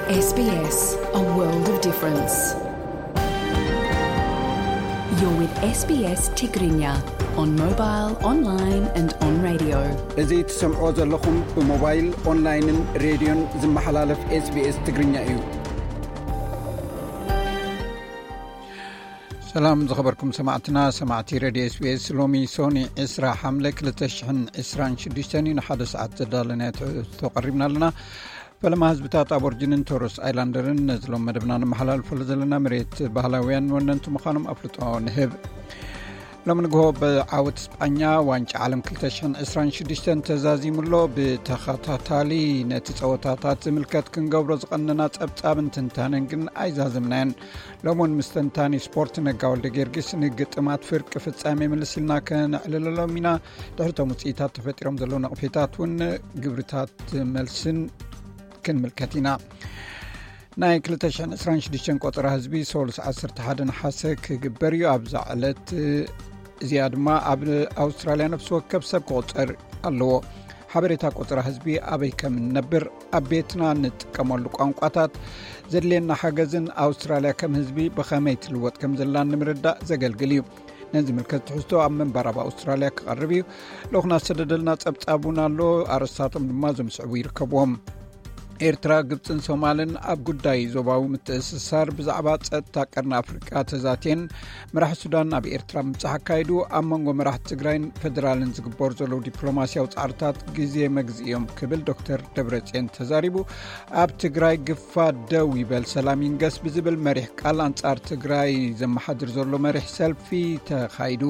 S B S, a world of difference. You're with S B S Tigrinya on mobile, online and on radio. እዚ ትሰምዖ ዘለኹም ብሞባይል፣ ኦንላይንን ሬድዮን ዝመሓላለፍ SBS ትግርኛ እዩ። ሰላም ዝኸበርኩም ሰማዕትና፣ ሰማዕቲ ሬድዮ SBS። ሎሚ ሶኒ ዕስራ ሓምለ ክልተ ሽሕን ዕስራን ሽዱሽተን እዩ። ንሓደ ሰዓት ዘዳለናዮ ትሕዝቶ ቀሪብና ኣለና። ፈለማ ህዝብታት ኣቦርጅንን ቶረስ ኣይላንደርን ነዚ ሎም መደብና ንመሓላልፈሉ ዘለና መሬት ባህላውያን ወነንቲ ምዃኖም ኣፍልጦ ንህብ። ሎም ንግሆ ብዓወት ስጳኛ ዋንጫ ዓለም ክልተ ሽሕን ዕስራን ሽዱሽተን ተዛዚሙ ኣሎ። ብተኸታታሊ ነቲ ጸወታታት ዝምልከት ክንገብሮ ዝቐነና ጸብጻብን ትንታነን ግን ኣይዛዘምናዮን። ሎም እውን ምስ ተንታኒ ስፖርት ነጋ ወልደ ጊዮርጊስ ንግጥማት ፍርቂ ፍጻሜ ምልስ ኢልና ከነዕልለሎም ኢና። ድሕሪ ቶም ውጽኢታት ተፈጢሮም ዘለዉ ነቕፌታት እውን ግብርታት መልስን ክንምልከት ኢና። ናይ ክልተ ሽሕን ዕስራን ሽዱሽተን ቆጸራ ህዝቢ ሶሉስ ዓሰርተ ሓደ ነሓሰ ክግበር እዩ። ኣብዛ ዕለት እዚኣ ድማ ኣብ ኣውስትራልያ ነፍሲ ወከፍ ሰብ ክቑጸር ኣለዎ። ሓበሬታ ቆጸራ ህዝቢ፣ ኣበይ ከም እንነብር፣ ኣብ ቤትና እንጥቀመሉ ቋንቋታት፣ ዘድልየና ሓገዝን ኣውስትራልያ ከም ህዝቢ ብኸመይ ትልወጥ ከም ዘላን ንምርዳእ ዘገልግል እዩ። ነዚ ምልከት ትሕዝቶ ኣብ ምንባር ኣብ ኣውስትራልያ ክቐርብ እዩ። ልኡኽና ዝተደደልና ጸብጻብ እውን ኣሎ። ኣርእስታቶም ድማ እዞም ዝስዕቡ ይርከብዎም። ኤርትራ፣ ግብጽን ሶማልን ኣብ ጉዳይ ዞባዊ ምትእስሳር ብዛዕባ ጸጥታ ቀርኒ ኣፍሪቃ ተዛትየን። መራሒ ሱዳን ኣብ ኤርትራ ምብጻሕ ኣካይዱ። ኣብ መንጎ መራሕቲ ትግራይን ፌደራልን ዝግበሩ ዘለዉ ዲፕሎማስያዊ ጻዕርታት ግዜ መግዝኢ እዮም ክብል ዶክተር ደብረጽዮን ተዛሪቡ። ኣብ ትግራይ ግፋ ደው ይበል ሰላም ይንገስ ብዝብል መሪሕ ቃል ኣንጻር ትግራይ ዘመሓድር ዘሎ መሪሕ ሰልፊ ተኻይዱ።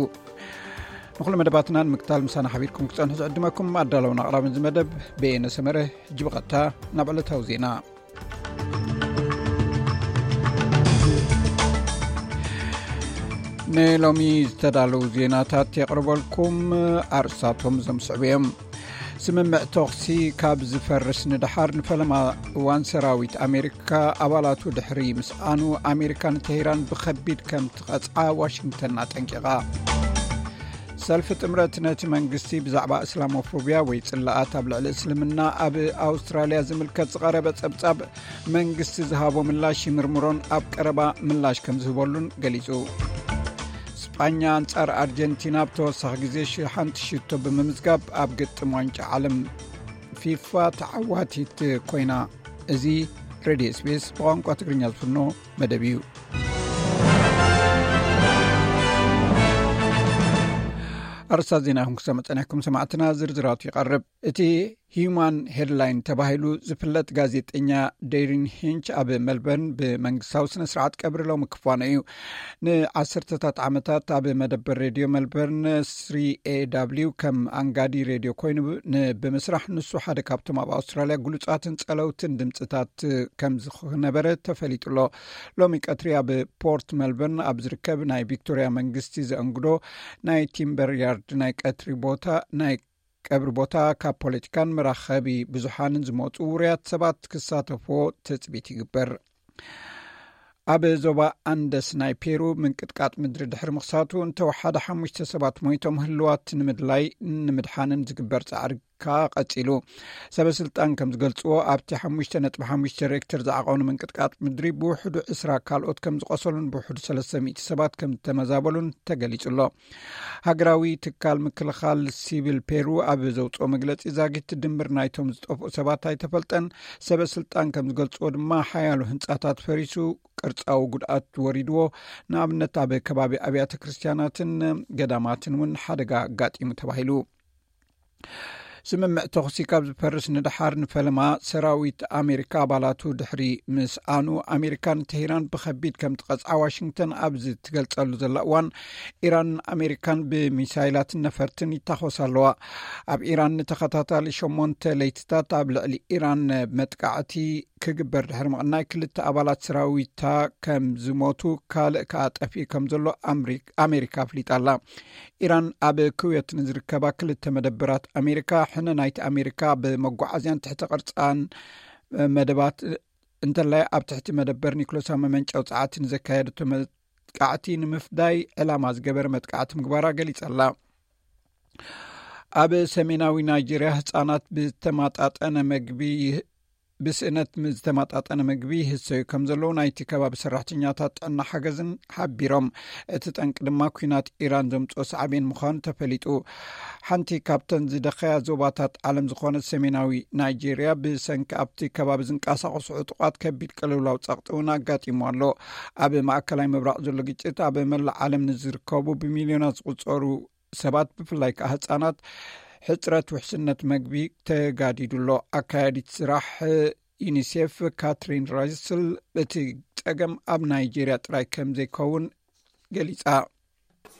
ንኹሉ መደባትና ንምክታል ምሳና ሓቢርኩም ክጸንሑ ዝዕድመኩም ኣዳለውን ኣቕራብን እዚ መደብ በየነ ሰመረ። ሕጂ ብቐጥታ ናብ ዕለታዊ ዜና። ንሎሚ ዝተዳለዉ ዜናታት የቕርበልኩም። ኣርእስታቶም እዞም ዝስዕቡ እዮም። ስምምዕ ተኹሲ ካብ ዝፈርስ ንደሓር ንፈለማ እዋን ሰራዊት ኣሜሪካ ኣባላቱ ድሕሪ ምስኣኑ፣ ኣሜሪካ ንቴህራን ብኸቢድ ከም ትቐጽዓ ዋሽንግተን ኣጠንቂቓ። ሰልፊ ጥምረት ነቲ መንግስቲ ብዛዕባ እስላሞፎብያ ወይ ጽላኣት ኣብ ልዕሊ እስልምና ኣብ ኣውስትራልያ ዝምልከት ዝቐረበ ጸብጻብ መንግስቲ ዝሃቦ ምላሽ ይምርምሮን ኣብ ቀረባ ምላሽ ከም ዝህበሉን ገሊጹ። ስጳኛ ኣንጻር ኣርጀንቲና ብተወሳኺ ግዜ ሽ-፣ ሓንቲ ሽቶ ብምምዝጋብ ኣብ ግጥም ዋንጫ ዓለም ፊፋ ተዓዋቲት ኮይና። እዚ ሬድዮ SBS ብቋንቋ ትግርኛ ዝፍኖ መደብ እዩ። ኣርእስታት ዜና ኢኹም ክሰምዑ ጸኒሕኩም ሰማዕትና፣ ዝርዝራቱ ይቐርብ። እቲ ሂዩማን ሄድላይን ተባሂሉ ዝፍለጥ ጋዜጠኛ ዴሪን ሂንች ኣብ መልበርን ብመንግስታዊ ስነ ስርዓት ቀብሪ ሎሚ ክፋኖ እዩ። ንዓሰርተታት ዓመታት ኣብ መደበር ሬድዮ መልበርን ስሪ ኤ ዳብሊው ከም ኣንጋዲ ሬድዮ ኮይኑ ብ-፣ ን-፣ ብምስራሕ ንሱ ሓደ ካብቶም ኣብ ኣውስትራልያ ግሉጻትን ጸለውትን ድምጽታት ከም ዝነበረ ተፈሊጡ ኣሎ። ሎሚ ቀትሪ ኣብ ፖርት መልበርን ኣብ ዝርከብ ናይ ቪክቶርያ መንግስቲ ዘእንግዶ ናይ ቲምበር ያርድ ናይ ቀትሪ ቦታ፣ ናይ ቀብሪ ቦታ ካብ ፖለቲካን መራኸቢ ብዙሓንን ዝመጹ ውሩያት ሰባት ክሳተፍዎ ትጽቢት ይግበር። ኣብ ዞባ ኣንደስ ናይ ፔሩ ምንቅጥቃጥ ምድሪ ድሕሪ ምኽሳቱ እንተወሓደ ሓሙሽተ ሰባት ሞይቶም፣ ህልዋት ንምድላይ ንምድሓንን ዝግበር ጻዕሪ ከኣ ቀጺሉ። ሰበ ስልጣን ከም ዝገልጽዎ፣ ኣብቲ ሓሙሽተ ነጥቢ ሓሙሽተ ሬክተር ዝዓቐኑ ምንቅጥቃጥ ምድሪ ብውሕዱ ዕስራ ካልኦት ከም ዝቖሰሉን ብውሕዱ ሰለስተ ሚእቲ ሰባት ከም ዝተመዛበሉን ተገሊጹ ኣሎ። ሃገራዊ ትካል ምክልኻል ሲቪል ፔሩ ኣብ ዘውጽኦ መግለጺ፣ ዛጊት ድምር ናይቶም ዝጠፍኡ ሰባት ኣይተፈልጠን። ሰበ ስልጣን ከም ዝገልጽዎ ድማ፣ ሓያሎ ህንጻታት ፈሪሱ፣ ቅርጻዊ ጉድኣት ወሪድዎ። ንኣብነት፣ ኣብ ከባቢ ኣብያተ ክርስትያናትን ገዳማትን እውን ሓደጋ ኣጋጢሙ ተባሂሉ። ስምምዕ ተኹሲ ካብ ዝፈርስ ንደሓር ንፈለማ ሰራዊት ኣሜሪካ ኣባላቱ ድሕሪ ምስኣኑ፣ ኣሜሪካ ንቴህራን ብኸቢድ ከም ትቐጽዓ ዋሽንግተን ኣብዚ ትገልጸሉ ዘላ እዋን፣ ኢራን ኣሜሪካን ብሚሳይላትን ነፈርትን ይታኾሳ ኣለዋ። ኣብ ኢራን ንተኸታታሊ ሸሞንተ ለይትታት ኣብ ልዕሊ ኢራን መጥቃዕቲ ክግበር ድሕሪ ምቕናይ፣ ክልተ ኣባላት ሰራዊታ ከም ዝሞቱ፣ ካልእ ከኣ ጠፊኡ ከም ዘሎ ኣምሪ-፣ ኣሜሪካ ኣፍሊጣ ኣላ። ኢራን ኣብ ኩዌት ንዝርከባ ክልተ መደበራት ኣሜሪካ፣ ሕነ ናይቲ ኣሜሪካ ብመጓዓዝያን ትሕቲ ቅርጻን መደባት፣ እንተላይ ኣብ ትሕቲ መደበር ኒኩለሳዊ መመንጨዊ ጸዓት ንዘካየደቶ መጥቃዕቲ ንምፍዳይ ዕላማ ዝገበረ መጥቃዕቲ ምግባራ ገሊጻ ኣላ። ኣብ ሰሜናዊ ናይጄርያ ህጻናት ብዝተመጣጠነ መግቢ ብስእነት ዝተመጣጠነ ምግቢ ይህሰዩ ከም ዘለዉ ናይቲ ከባቢ ሰራሕተኛታት ጥዕና ሓገዝን ሓቢሮም። እቲ ጠንቂ ድማ ኩናት ኢራን ዘምፅኦ ሳዕቤን ምዃኑ ተፈሊጡ። ሓንቲ ካብተን ዝደኸያ ዞባታት ዓለም ዝኾነት ሰሜናዊ ናይጄርያ ብሰንኪ ኣብቲ ከባቢ ዝንቀሳቐሱ ዕጡቓት ከቢድ ቅልውላው ጸቕጢ እውን ኣጋጢሙ ኣሎ። ኣብ ማእከላይ ምብራቕ ዘሎ ግጭት ኣብ መላእ ዓለም ንዝርከቡ ብሚልዮናት ዝቑጸሩ ሰባት፣ ብፍላይ ከኣ ህጻናት፣ ሕጽረት ውሕስነት መግቢ ተጋዲዱ ኣሎ። ኣካያዲት ስራሕ ዩኒሴፍ ካትሪን ራይስል፣ እቲ ጸገም ኣብ ናይጄርያ ጥራይ ከም ዘይከውን ገሊጻ።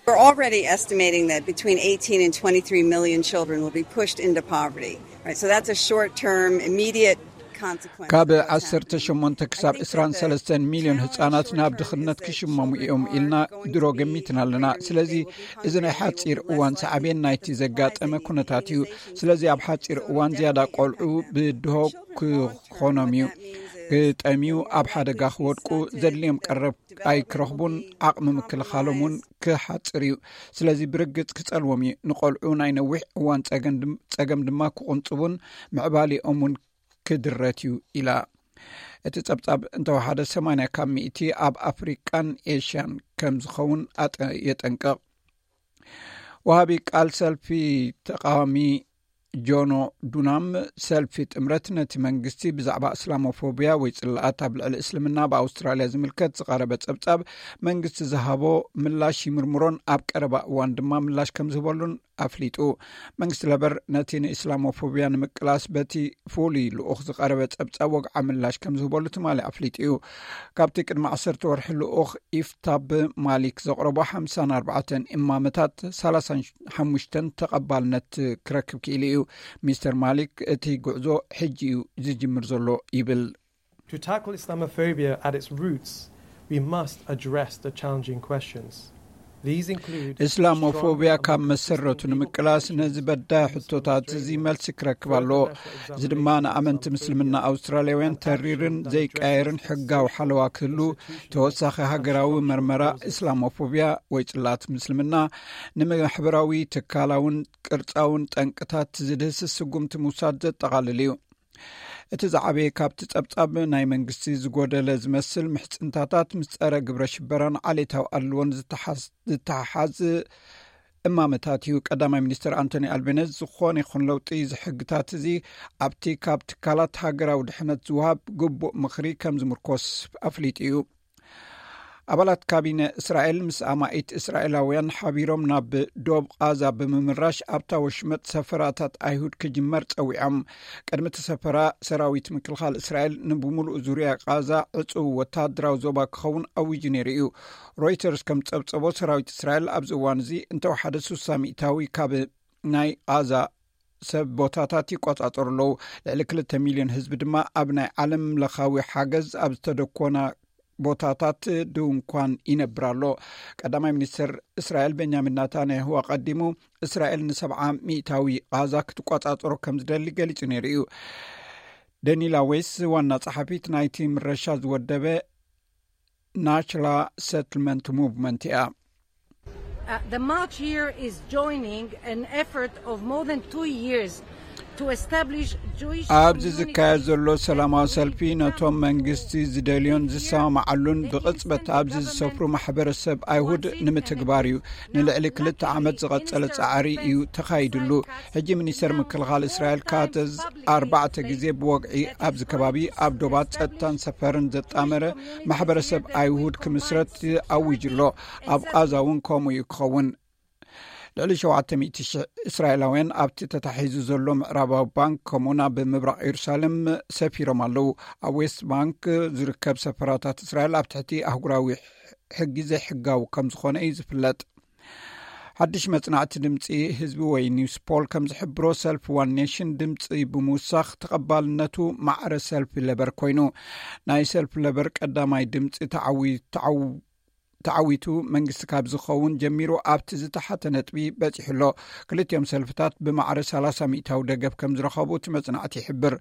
We're already estimating that between eighteen and twenty-three million children will be pushed into poverty. Right? So that's a short term, immediate consequence. ካብ ዓሰርተ ሸሞንተ ክሳብ ዕስራን ሰለስተን ሚልዮን ህጻናት ናብ ድኽነት ክሽመሙ እዮም ኢልና ድሮ ገሚትና ኣለና። ስለዚ እዚ ናይ ሓጺር እዋን ሳዕቤን ናይቲ ዘጋጠመ ኩነታት እዩ። ስለዚ ኣብ ሓጺር እዋን ዝያዳ ቆልዑ ብድሆ ክኾኖም እዩ። ክጠምዩ፣ ኣብ ሓደጋ ክወድቁ፣ ዘድልዮም ቀረብ ኣይክረኽቡን፣ ዓቕሚ ምክልኻሎም እውን ክሓጽር እዩ። ስለዚ ብርግጽ ክጸልዎም እዩ። ንቆልዑ ናይ ነዊሕ እዋን ጸገም ድም- ጸገም ድማ ክቕንጽቡን ምዕባሊኦም እውን ክድረት እዩ ኢላ። እቲ ጸብጻብ እንተወሓደ ሰማንያ ካብ ሚእቲ ኣብ ኣፍሪቃን ኤሽያን ከም ዝኸውን ኣጠ- የጠንቅቕ። ወሃቢ ቃል ሰልፊ ተቃዋሚ ጆኖ ዱናም፣ ሰልፊ ጥምረት ነቲ መንግስቲ ብዛዕባ እስላሞፎቢያ ወይ ጽላኣት ኣብ ልዕሊ እስልምና ኣብ ኣውስትራልያ ዝምልከት ዝቐረበ ጸብጻብ መንግስቲ ዝሃቦ ምላሽ ይምርምሮን ኣብ ቀረባ እዋን ድማ ምላሽ ከም ዝህበሉን ኣፍሊጡ። መንግስቲ ለበር ነቲ ንእስላሞፎቢያ ንምቅላስ በቲ ፍሉይ ልኡኽ ዝቐረበ ጸብጻብ ወግዓ ምላሽ ከም ዝህበሉ ትማሊ ኣፍሊጡ እዩ። ካብቲ ቅድሚ ዓሰርተ ወርሒ ልኡኽ ኢፍታብ ማሊክ ዘቕረቦ ሓምሳን ኣርባዕተን እማመታት ሰላሳን ሓሙሽተን ተቐባልነት ክረክብ ክኢሉ እዩ። ሚስተር ማሊክ፣ እቲ ጉዕዞ ሕጂ እዩ ዝጅምር ዘሎ ይብል። To tackle Islamophobia at its roots, we must address the challenging questions. These include እስላሞፎቢያ ካብ መሰረቱ ንምቅላስ ነዚ በዳይ ሕቶታት እዚ መልሲ ክረክብ ኣለዎ። እዚ ድማ ንኣመንቲ ምስልምና ኣውስትራልያውያን ተሪርን ዘይቀየርን ሕጋዊ ሓለዋ ክህሉ፣ ተወሳኺ ሃገራዊ መርመራ እስላሞፎቢያ ወይ ጽላት ምስልምና፣ ንማሕበራዊ ትካላውን ቅርጻውን ጠንቅታት ዝድህስስ ስጉምቲ ምውሳድ ዘጠቓልል እዩ። እቲ ዝዓበየ ካብቲ ጸብጻብ ናይ መንግስቲ ዝጎደለ ዝመስል ምሕጽንታታት ምስ ጸረ ግብረ ሽበራን ዓሌታዊ ኣድልዎን ዝተሓዝ- ዝተሓሓዝ እማመታት እዩ። ቀዳማይ ሚኒስትር ኣንቶኒ ኣልቤነዝ፣ ዝኾነ ይኹን ለውጢ ዝሕግታት እዚ ኣብቲ ካብ ትካላት ሃገራዊ ድሕነት ዝወሃብ ግቡእ ምኽሪ ከም ዝምርኮስ ኣፍሊጡ እዩ። ኣባላት ካቢነ እስራኤል ምስ ኣማኢት እስራኤላውያን ሓቢሮም ናብ ዶብ ቓዛ ብምምራሽ ኣብታ ወሽመጥ ሰፈራታት ኣይሁድ ክጅመር ጸዊዖም። ቅድሚ እቲ ሰፈራ ሰራዊት ምክልኻል እስራኤል ንብምሉእ ዙርያ ቓዛ ዕጹው ወታደራዊ ዞባ ክኸውን ኣዊጁ ነይሩ እዩ። ሮይተርስ ከም ጸብጸቦ ሰራዊት እስራኤል ኣብዚ እዋን እዚ እንተወሓደ ሱሳ ሚእታዊ ካብ ናይ ቓዛ ሰብ ቦታታት ይቆጻጸሩ ኣለዉ። ልዕሊ ክልተ ሚልዮን ህዝቢ ድማ ኣብ ናይ ዓለም ለኻዊ ሓገዝ ኣብ ዝተደኮና ቦታታት ድንኳን ይነብር ኣሎ። ቀዳማይ ሚኒስትር እስራኤል ቤንያሚን ናታንያሁ ኣቐዲሙ እስራኤል ንሰብዓ ሚእታዊ ቓዛ ክትቆጻጸሮ ከም ዝደሊ ገሊጹ ነይሩ እዩ። ደኒላ ዌስ ዋና ጸሓፊት ናይቲ ምረሻ ዝወደበ ናሽላ ሰትልመንት ሙቭመንት እያ። Uh, the march here is joining an effort of more than two years to establish Jewish ኣብዚ communities ዝካየድ ዘሎ ሰላማዊ and ሰልፊ ነቶም መንግስቲ ዝደልዮን ዝሰማማዓሉን ብቕጽበት ኣብዚ ዝሰፍሩ ማሕበረሰብ ኣይሁድ ንምትግባር እዩ። ንልዕሊ ክልተ ዓመት ዝቐጸለ ጻዕሪ እዩ ተኻይድሉ። ሕጂ ሚኒስተር ምክልኻል እስራኤል ካትዝ ኣርባዕተ ግዜ ብወግዒ ኣብዚ ከባቢ ኣብ ዶባት ጸጥታን ሰፈርን ዘጣመረ ማሕበረሰብ ኣይሁድ ክምስረት ኣዊጁ ኣሎ። ኣብ ቓዛ እውን ከምኡ እዩ ክኸውን። ልዕሊ ሸውዓተ ሚእቲ ሽሕ እስራኤላውያን ኣብቲ ተታሒዙ ዘሎ ምዕራባዊ ባንክ ከምኡውን ኣብ ምብራቕ ኢየሩሳሌም ሰፊሮም ኣለዉ። ኣብ ዌስት ባንክ ዝርከብ ሰፈራታት እስራኤል ኣብ ትሕቲ ኣህጉራዊ ሕጊ ዘይሕጋዊ ከም ዝኾነ እዩ ዝፍለጥ። ሓድሽ መጽናዕቲ ድምጺ ህዝቢ ወይ ኒውስ ፖል ከም ዝሕብሮ ሰልፊ ዋን ኔሽን ድምጺ ብምውሳኽ ተቐባልነቱ ማዕረ ሰልፊ ለበር ኮይኑ። ናይ ሰልፊ ለበር ቀዳማይ ድምጺ ተዓዊ- ተዓው- ተዓዊቱ መንግስቲ ካብ ዝኸውን ጀሚሩ ኣብቲ ዝተሓተ ነጥቢ በጺሑ ኣሎ። ክልቲኦም ሰልፍታት ብማዕረ ሰላሳ ሚእታዊ ደገፍ ከም ዝረኸቡ እቲ መጽናዕቲ ይሕብር።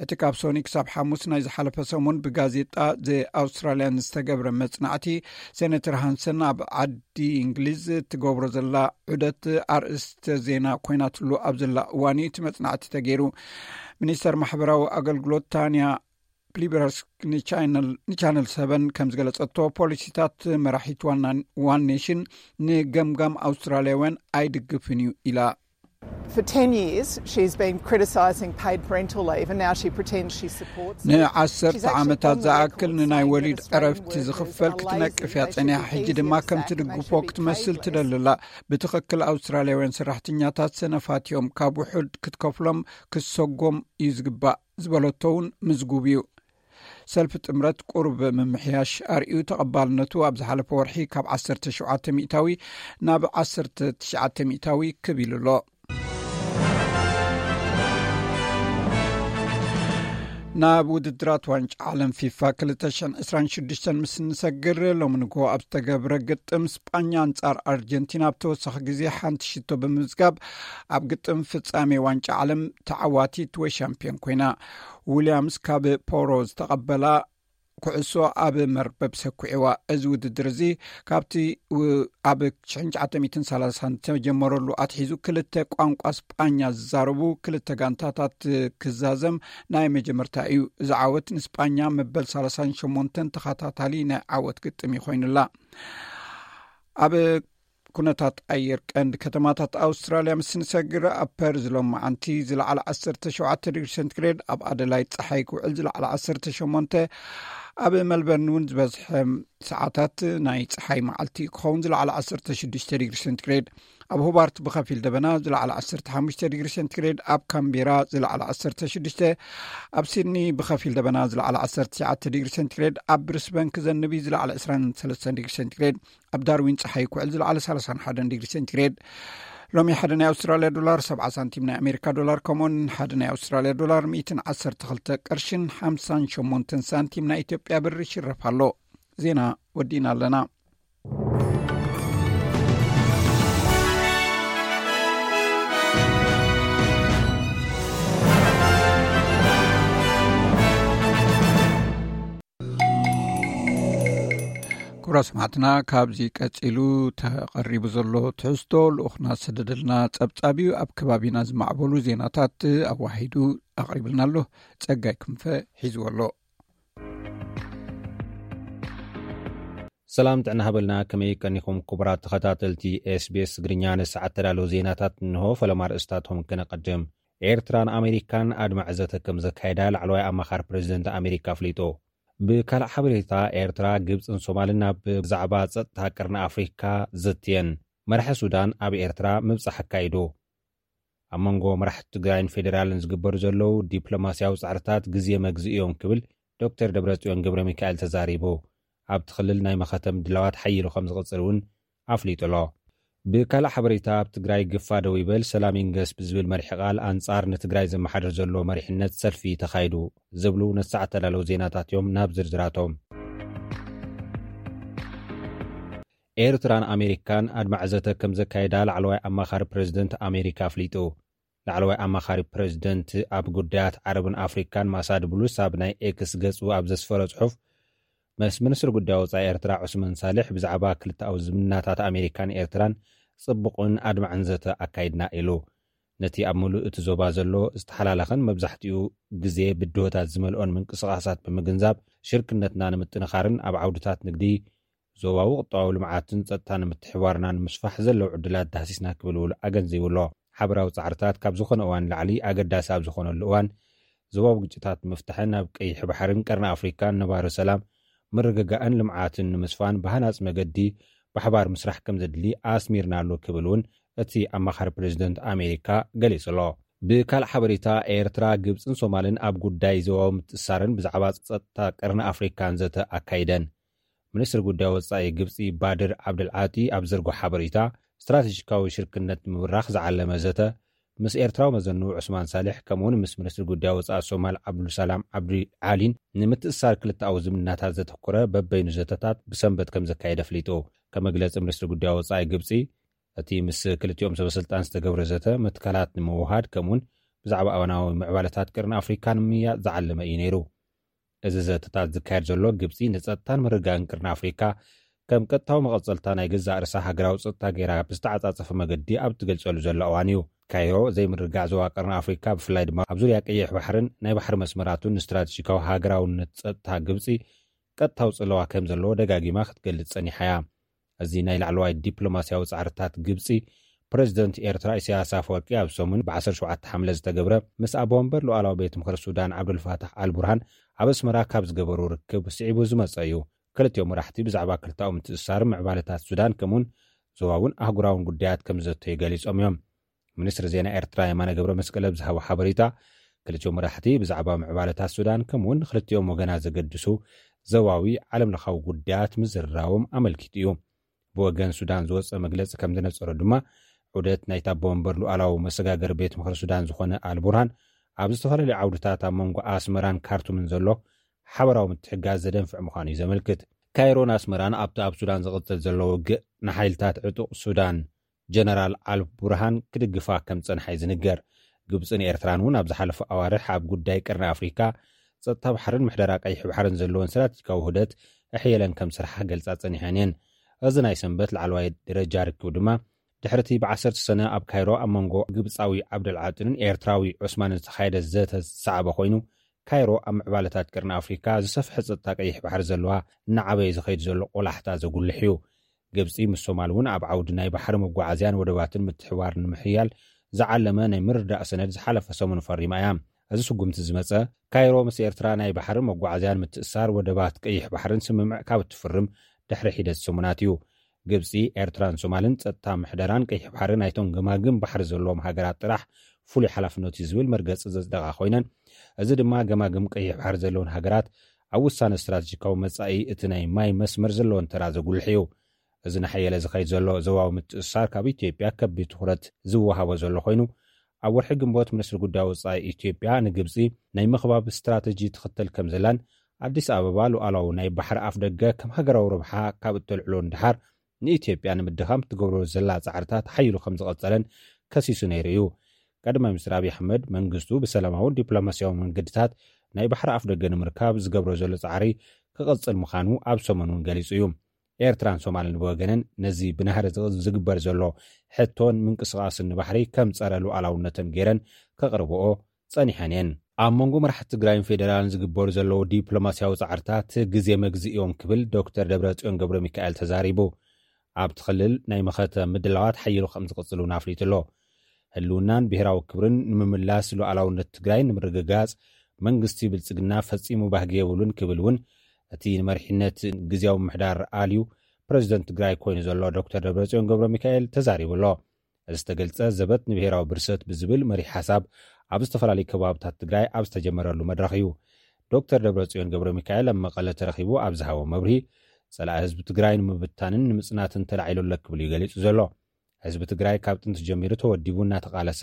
እቲ ካብ ሶኒ ክሳብ ሓሙስ ናይ ዝሓለፈ ሰሙን ብጋዜጣ ዘ ኣውስትራልያን ዝተገብረ መጽናዕቲ፣ ሴነተር ሃንሰን ኣብ ዓዲ እንግሊዝ እትገብሮ ዘላ ዑደት ኣርእስተ ዜና ኮይናትሉ ኣብ ዘላ እዋን እዩ እቲ መጽናዕቲ ተገይሩ። ሚኒስተር ማሕበራዊ ኣገልግሎት ታንያ ፕሊበርስክ ንቻነል ሰቨን ከም ዝገለጸቶ፣ ፖሊሲታት መራሒት ዋን ኔሽን ንገምጋም ኣውስትራልያውያን ኣይድግፍን እዩ ኢላ። For ten years, she's been criticising paid parental leave, and now she pretends she supports it. ንዓሰርተ ዓመታት ዝኣክል ንናይ ወሊድ ዕረፍቲ ዝኽፈል ክትነቅፍ እያ ጸኒሓ። ሕጂ ድማ ከም ትድግፎ ክትመስል ትደልላ። ብትኽክል ኣውስትራልያውያን ሰራሕተኛታት ሰነፋት እዮም፣ ካብ ውሑድ ክትከፍሎም ክሰጎም እዩ ዝግባእ ዝበለቶ እውን ምዝጉብ እዩ። ሰልፊ ጥምረት ቁሩብ ምምሕያሽ ኣርእዩ፣ ተቐባልነቱ ኣብ ዝሓለፈ ወርሒ ካብ ዓሰርተ ሸውዓተ ሚእታዊ ናብ ዓሰርተ ትሽዓተ ሚእታዊ ክብ ኢሉ ኣሎ። ናብ ውድድራት ዋንጫ ዓለም ፊፋ ክልተ ሽሕን ዕስራን ሽዱሽተን ምስ እንሰግር፣ ሎሚ ንግሆ ኣብ ዝተገብረ ግጥም ስጳኛ ኣንጻር ኣርጀንቲና ኣብ ተወሳኺ ግዜ ሓንቲ ሽቶ ብምምዝጋብ ኣብ ግጥም ፍጻሜ ዋንጫ ዓለም ተዓዋቲት ወይ ሻምፒዮን ኮይና። ዊልያምስ ካብ ፖሮ ዝተቐበላ ኩዕሶ ኣብ መርበብ ሰኩዕዋ። እዚ ውድድር እዚ ካብቲ ኣብ ሽሕን ትሽዓተ ሚእትን ሰላሳን ዝተጀመረሉ ኣትሒዙ ክልተ ቋንቋ ስጳኛ ዝዛረቡ ክልተ ጋንታታት ክዛዘም ናይ መጀመርታ እዩ። እዚ ዓወት ንስጳኛ መበል ሰላሳን ሸሞንተን ተኸታታሊ ናይ ዓወት ግጥም እዩ ኮይኑላ። ኣብ ኩነታት ኣየር ቀንዲ ከተማታት ኣውስትራልያ ምስ ንሰግር፣ ኣብ ፐርዝ ሎማዓንቲ ዝለዓለ ዓሰርተ ሸውዓተ ዲግሪ ሴንቲግሬድ፣ ኣብ ኣደላይድ ጸሓይ ክውዕል ዝለዓለ ዓሰርተ ሸሞንተ፣ ኣብ መልበርን እውን ዝበዝሐ ሰዓታት ናይ ጸሓይ መዓልቲ ክኸውን ዝለዓለ ዓሰርተ ሽዱሽተ ዲግሪ ሴንቲግሬድ፣ ኣብ ሆባርት ብኸፊል ደበና ዝለዓለ ዓሰርተ ሓሙሽተ ዲግሪ ሴንቲግሬድ፣ ኣብ ካምቤራ ዝለዓለ ዓሰርተ ሽዱሽተ፣ ኣብ ሲድኒ ብኸፊል ደበና ዝለዓለ ዓሰርተ ትሽዓተ ዲግሪ ሴንቲግሬድ፣ ኣብ ብሪስበን ክዘንብ እዩ ዝለዓለ ዕስራን ሰለስተን ዲግሪ ሴንቲግሬድ፣ ኣብ ዳርዊን ጸሓይ ክውዕል ዝለዓለ ሰላሳን ሓደን ዲግሪ ሴንቲግሬድ። ሎሚ ሓደ ናይ ኣውስትራልያ ዶላር ሰብዓ ሳንቲም ናይ ኣሜሪካ ዶላር፣ ከምኡውን ሓደ ናይ ኣውስትራልያ ዶላር ሚእትን ዓሰርተ ክልተ ቅርሽን ሓምሳን ሸሞንተን ሳንቲም ናይ ኢትዮጵያ ብር ይሽረፍ ኣሎ። ዜና ወዲእና ኣለና። ክቡራት ሰማዕትና፣ ካብዚ ቀጺሉ ተቐሪቡ ዘሎ ትሕዝቶ ልኡኽና ዝሰደደልና ጸብጻብ እዩ። ኣብ ከባቢና ዝማዕበሉ ዜናታት ኣዋሂዱ ኣቕሪብልና ኣሎ። ጸጋይ ክንፈ ሒዝዎ ኣሎ። ሰላም ጥዕና ሃበልና፣ ከመይ ቀኒኹም ክቡራት ተኸታተልቲ ኤስቢኤስ ትግርኛ? ንሰዓት ተዳለዉ ዜናታት እንሆ፣ ፈለማ ኣርእስታቶም ክነቐድም። ኤርትራን ኣሜሪካን ኣድማዒ ዘተ ከም ዘካየዳ ላዕለዋይ ኣማኻሪ ፕሬዚደንት ኣሜሪካ ኣፍሊጡ። ብካልእ ሓበሬታ፣ ኤርትራ፣ ግብጽን ሶማልን ኣብ ብዛዕባ ጸጥታ ቀርኒ ኣፍሪካ ዘትየን። መራሒ ሱዳን ኣብ ኤርትራ ምብጻሕ ኣካይዱ። ኣብ መንጎ መራሕቲ ትግራይን ፌዴራልን ዝግበሩ ዘለዉ ዲፕሎማስያዊ ጻዕርታት ግዜ መግዝኢ እዮም ክብል ዶክተር ደብረጽዮን ገብረ ሚካኤል ተዛሪቡ። ኣብቲ ክልል ናይ መኸተ ምድላዋት ሓይሉ ከም ዝቕጽል እውን ኣፍሊጡ ኣሎ። ብካልእ ሓበሬታ፣ ኣብ ትግራይ ግፋ ደው ይበል ሰላም ይንገስ ብዝብል መሪሕ ቃል ኣንጻር ንትግራይ ዘመሓድር ዘሎ መሪሕነት ሰልፊ ተኻይዱ ዝብሉ ነቲ ሰዓት ተዳለዉ ዜናታት እዮም። ናብ ዝርዝራቶም። ኤርትራን ኣሜሪካን ኣድማዒ ዘተ ከም ዘካየዳ ላዕለዋይ ኣማኻሪ ፕሬዚደንት ኣሜሪካ ኣፍሊጡ። ላዕለዋይ ኣማኻሪ ፕሬዚደንት ኣብ ጉዳያት ዓረብን ኣፍሪካን ማሳድ ብሉስ ኣብ ናይ ኤክስ ገጹ ኣብ ዘስፈሮ ጽሑፍ፣ ምስ ሚኒስትሪ ጉዳይ ወጻኢ ኤርትራ ዑስማን ሳልሕ ብዛዕባ ክልተኣዊ ዝምድናታት ኣሜሪካን ኤርትራን ጽቡቕን ኣድማዕን ዘተ ኣካይድና ኢሉ። ነቲ ኣብ ምሉእ እቲ ዞባ ዘሎ ዝተሓላለኸን መብዛሕትኡ ግዜ ብድሆታት ዝመልኦን ምንቅስቓሳት ብምግንዛብ፣ ሽርክነትና ንምጥንኻርን ኣብ ዓውድታት ንግዲ፣ ዞባዊ ቁጠባዊ ልምዓትን ጸጥታን ምትሕብባርና ንምስፋሕ ዘለዉ ዕድላት ዳህሲስና ክብል እውን ኣገንዚቡ ኣሎ። ሓበራዊ ጻዕርታት ካብ ዝኾነ እዋን ንላዕሊ ኣገዳሲ ኣብ ዝኾነሉ እዋን፣ ዞባዊ ግጭታት ንምፍታሕን ኣብ ቀይሕ ባሕርን ቀርኒ ኣፍሪካን ነባሪ ሰላም፣ ምርግጋእን ልምዓትን ንምስፋን ብሃናጺ መገዲ ብሓባር ምስራሕ ከም ዘድሊ ኣስሚርና ኣሎ ክብል እውን እቲ ኣማኻሪ ፕሬዚደንት ኣሜሪካ ገሊጹ ኣሎ። ብካልእ ሓበሬታ፣ ኤርትራ፣ ግብጽን ሶማልን ኣብ ጉዳይ ዞባዊ ምትእስሳርን ብዛዕባ ጸጥታ ቀርኒ ኣፍሪካን ዘተ ኣካይደን። ሚኒስትሪ ጉዳይ ወጻኢ ግብጺ ባድር ዓብደልዓጢ ኣብ ዘርግሖ ሓበሬታ፣ ስትራቴጂካዊ ሽርክነት ንምብራኽ ዝዓለመ ዘተ ምስ ኤርትራዊ መዘንኡ ዑስማን ሳልሕ፣ ከምኡውን ምስ ሚኒስትሪ ጉዳይ ወጻኢ ሶማል ዓብዱልሰላም ዓብዲ ዓሊን ንምትእስሳር ክልተኣዊ ዝምድናታት ዘተኮረ በበይኑ ዘተታት ብሰንበት ከም ዘካየደ ኣፍሊጡ። ከም መግለጺ ሚኒስትሪ ጉዳይ ወጻኢ ግብጺ፣ እቲ ምስ ክልቲኦም ሰበስልጣን ዝተገብረ ዘተ መትከላት ንምውሃድ፣ ከምኡውን ብዛዕባ እዋናዊ ምዕባለታት ቀርኒ ኣፍሪካ ንምምይያጥ ዝዓለመ እዩ ነይሩ። እዚ ዘተታት ዝካየድ ዘሎ፣ ግብጺ ንጸጥታን ምርግጋእን ቀርኒ ኣፍሪካ ከም ቀጥታዊ መቐጸልታ ናይ ገዛእ ርእሳ ሃገራዊ ጸጥታ ገይራ ብዝተዓጻጸፈ መገዲ ኣብ እትገልጸሉ ዘላ እዋን እዩ። ካይሮ ዘይምርግጋዕ ዞባ ቀርኒ ኣፍሪካ፣ ብፍላይ ድማ ኣብ ዙርያ ቀይሕ ባሕርን ናይ ባሕሪ መስመራቱን ንስትራቴጂካዊ ሃገራውነት ጸጥታ ግብጺ ቀጥታዊ ጽለዋ ከም ዘለዎ ደጋጊማ ክትገልጽ ጸኒሓ እያ። እዚ ናይ ላዕለዋይ ዲፕሎማስያዊ ጻዕርታት ግብጺ፣ ፕሬዚደንት ኤርትራ ኢሳያስ ኣፈወርቂ ኣብ ሰሙን ብ17 ሓምለ ዝተገብረ ምስ ኣቦ ወንበር ሉዓላዊ ቤት ምኽሪ ሱዳን ዓብዱልፋታሕ ኣልቡርሃን ኣብ ኣስመራ ካብ ዝገበሩ ርክብ ስዒቡ ዝመጸ እዩ። ክልቲኦም መራሕቲ ብዛዕባ ክልታዊ ምትእስሳር፣ ምዕባለታት ሱዳን ከምኡውን ዞባውን ኣህጉራውን ጉዳያት ከም ዘተዩ ገሊጾም እዮም። ሚኒስትሪ ዜና ኤርትራ የማነ ገብረ መስቀል ኣብ ዝሃቦ ሓበሬታ፣ ክልቲኦም መራሕቲ ብዛዕባ ምዕባለታት ሱዳን ከምኡውን ንክልቲኦም ወገናት ዘገድሱ ዞባዊ ዓለም ለኻዊ ጉዳያት ምዝርራቦም ኣመልኪቱ እዩ። ብወገን ሱዳን ዝወጸ መግለጺ ከም ዝነጸሮ ድማ፣ ዑደት ናይቲ ኣቦ ወንበር ሉዓላዊ መሰጋገሪ ቤት ምኽሪ ሱዳን ዝኾነ ኣልቡርሃን ኣብ ዝተፈላለዩ ዓውድታት ኣብ መንጎ ኣስመራን ካርቱምን ዘሎ ሓበራዊ ምትሕጋዝ ዘደንፍዕ ምዃኑ እዩ ዘመልክት። ካይሮን ኣስመራን ኣብቲ ኣብ ሱዳን ዝቕጽል ዘሎ ውግእ ንሓይልታት ዕጡቕ ሱዳን ጀነራል ኣልቡርሃን ክድግፋ ከም ዝጸንሓ እዩ ዝንገር። ግብጽን ኤርትራን እውን ኣብ ዝሓለፈ ኣዋርሕ ኣብ ጉዳይ ቀርኒ ኣፍሪካ፣ ጸጥታ ባሕርን ምሕደራ ቀይሕ ባሕርን ዘለወን ስትራቴጂካዊ ውህደት ኣሕየለን ከም ዝሰርሓ ገልጻ ጸኒሐን እየን። እዚ ናይ ሰንበት ላዕለዋይ ደረጃ ርክብ ድማ ድሕሪ እቲ ብ10 ሰነ ኣብ ካይሮ ኣብ መንጎ ግብጻዊ ዓብደል ዓጥንን ኤርትራዊ ዑስማንን ዝተኻየደ ዘተ ዝሰዓበ ኮይኑ፣ ካይሮ ኣብ ምዕባለታት ቀርኒ ኣፍሪካ ዝሰፍሐ ጸጥታ ቀይሕ ባሕሪ ዘለዋ እናዓበየ ዝኸይድ ዘሎ ቆላሕታ ዘጉልሕ እዩ። ግብጺ ምስ ሶማል እውን ኣብ ዓውዲ ናይ ባሕሪ መጓዓዝያን ወደባትን ምትሕብባር ንምሕያል ዝዓለመ ናይ ምርዳእ ሰነድ ዝሓለፈ ሰሙን ፈሪማ እያ። እዚ ስጉምቲ ዝመጸ፣ ካይሮ ምስ ኤርትራ ናይ ባሕሪ መጓዓዝያን ምትእሳር ወደባት ቀይሕ ባሕርን ስምምዕ ካብ እትፍርም ድሕሪ ሒደት ሰሙናት እዩ። ግብጺ፣ ኤርትራን ሶማልን ጸጥታ ምሕደራን ቀይሕ ባሕሪ ናይቶም ገማግም ባሕሪ ዘለዎም ሃገራት ጥራሕ ፍሉይ ሓላፍነት እዩ ዝብል መርገጺ ዘጽደቓ ኮይነን፣ እዚ ድማ ገማግም ቀይሕ ባሕሪ ዘለውን ሃገራት ኣብ ውሳነ ስትራቴጂካዊ መጻኢ እቲ ናይ ማይ መስመር ዘለዎን ተራ ዘጉልሕ እዩ። እዚ ናሓየለ ዝኸይድ ዘሎ ዞባዊ ምትእስሳር ካብ ኢትዮጵያ ከቢድ ትኹረት ዝወሃቦ ዘሎ ኮይኑ፣ ኣብ ወርሒ ግንቦት ሚኒስትሪ ጉዳይ ወጻኢ ኢትዮጵያ ንግብጺ ናይ ምኽባብ ስትራተጂ ትኽተል ከም ዘላን ኣዲስ ኣበባ ሉዓላዊ ናይ ባሕሪ ኣፍ ደገ ከም ሃገራዊ ረብሓ ካብ እተልዕሎ ንድሓር ንኢትዮጵያ ንምድኻም ትገብሮ ዘላ ጻዕርታት ሓይሉ ከም ዝቐጸለን ከሲሱ ነይሩ እዩ። ቀዳማይ ሚኒስትር ኣብይ ኣሕመድ መንግስቱ ብሰላማውን ዲፕሎማስያዊ መንገድታት ናይ ባሕሪ ኣፍ ደገ ንምርካብ ዝገብሮ ዘሎ ጻዕሪ ክቐጽል ምዃኑ ኣብ ሰሙን እውን ገሊጹ እዩ። ኤርትራን ሶማልን ብወገነን ነዚ ብናህሪ ዝግ- ዝግበር ዘሎ ሕቶን ምንቅስቓስን ንባሕሪ ከም ጸረ ሉዓላውነተን ገይረን ከቕርብኦ ጸኒሐን እየን። ኣብ መንጎ መራሕቲ ትግራይን ፌደራልን ዝግበሩ ዘለዉ ዲፕሎማስያዊ ጻዕርታት ግዜ መግዝእ እዮም ክብል ዶክተር ደብረጽዮን ገብረ ሚካኤል ተዛሪቡ። ኣብቲ ክልል ናይ መኸተ ምድላዋት ሓይሉ ከም ዝቕጽል እውን ኣፍሊጡ ኣሎ። ህልውናን ብሔራዊ ክብርን ንምምላስ፣ ሉዓላውነት ትግራይ ንምርግጋጽ መንግስቲ ብልጽግና ፈጺሙ ባህጊ የብሉን ክብል እውን እቲ ንመሪሕነት ግዝያዊ ምሕዳር ኣልዩ ፕሬዚደንት ትግራይ ኮይኑ ዘሎ ዶክተር ደብረጽዮን ገብረ ሚካኤል ተዛሪቡ ኣሎ። እዚ ዝተገልጸ ዘበት ንብሔራዊ ብርሰት ብዝብል መሪሕ ሓሳብ ኣብ ዝተፈላለዩ ከባብታት ትግራይ ኣብ ዝተጀመረሉ መድረኽ እዩ። ዶክተር ደብረጽዮን ገብረ ሚካኤል ኣብ መቐለ ተረኺቡ ኣብ ዝሃቦ መብርሂ፣ ጸላኢ ህዝቢ ትግራይ ንምብታንን ንምጽናትን ተላዒሉ ኣሎ ክብል እዩ ገሊጹ ዘሎ። ህዝቢ ትግራይ ካብ ጥንቲ ጀሚሩ ተወዲቡ እናተቓለሰ፣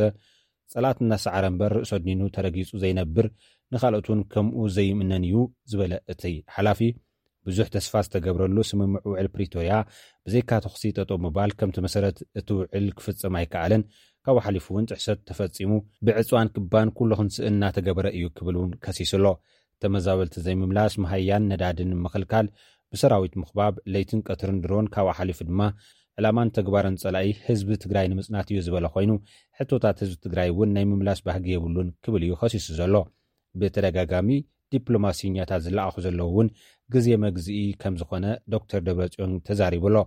ጸላእቲ እናሰዓረ እምበር ርእሱ ኣድኒኑ ተረጊጹ ዘይነብር፣ ንኻልኦት እውን ከምኡ ዘይምነን እዩ ዝበለ እቲ ሓላፊ፣ ብዙሕ ተስፋ ዝተገብረሉ ስምምዕ ውዕል ፕሪቶርያ ብዘይካ ተኹሲ ጠጠው ምባል ከምቲ መሰረት እቲ ውዕል ክፍጸም ኣይከኣለን። ካብኡ ሓሊፉ እውን ጥሕሰት ተፈጺሙ፣ ብዕፅዋን ክባን ኩሉ ክንስእን እናተገበረ እዩ ክብል እውን ከሲሱ ኣሎ። ተመዛበልቲ ዘይምምላስ፣ መሃያን ነዳድን ምኽልካል፣ ብሰራዊት ምኽባብ፣ ለይትን ቀትርን ድሮን፣ ካብኡ ሓሊፉ ድማ ዕላማን ተግባርን ጸላኢ ህዝቢ ትግራይ ንምጽናት እዩ ዝበለ ኮይኑ፣ ሕቶታት ህዝቢ ትግራይ እውን ናይ ምምላስ ባህጊ የብሉን ክብል እዩ ከሲሱ ዘሎ። ብተደጋጋሚ ዲፕሎማሲኛታት ዝለኣኹ ዘለዉ እውን ግዜ መግዝኢ ከም ዝኾነ ዶክተር ደብረጽዮን ተዛሪቡ ኣሎ።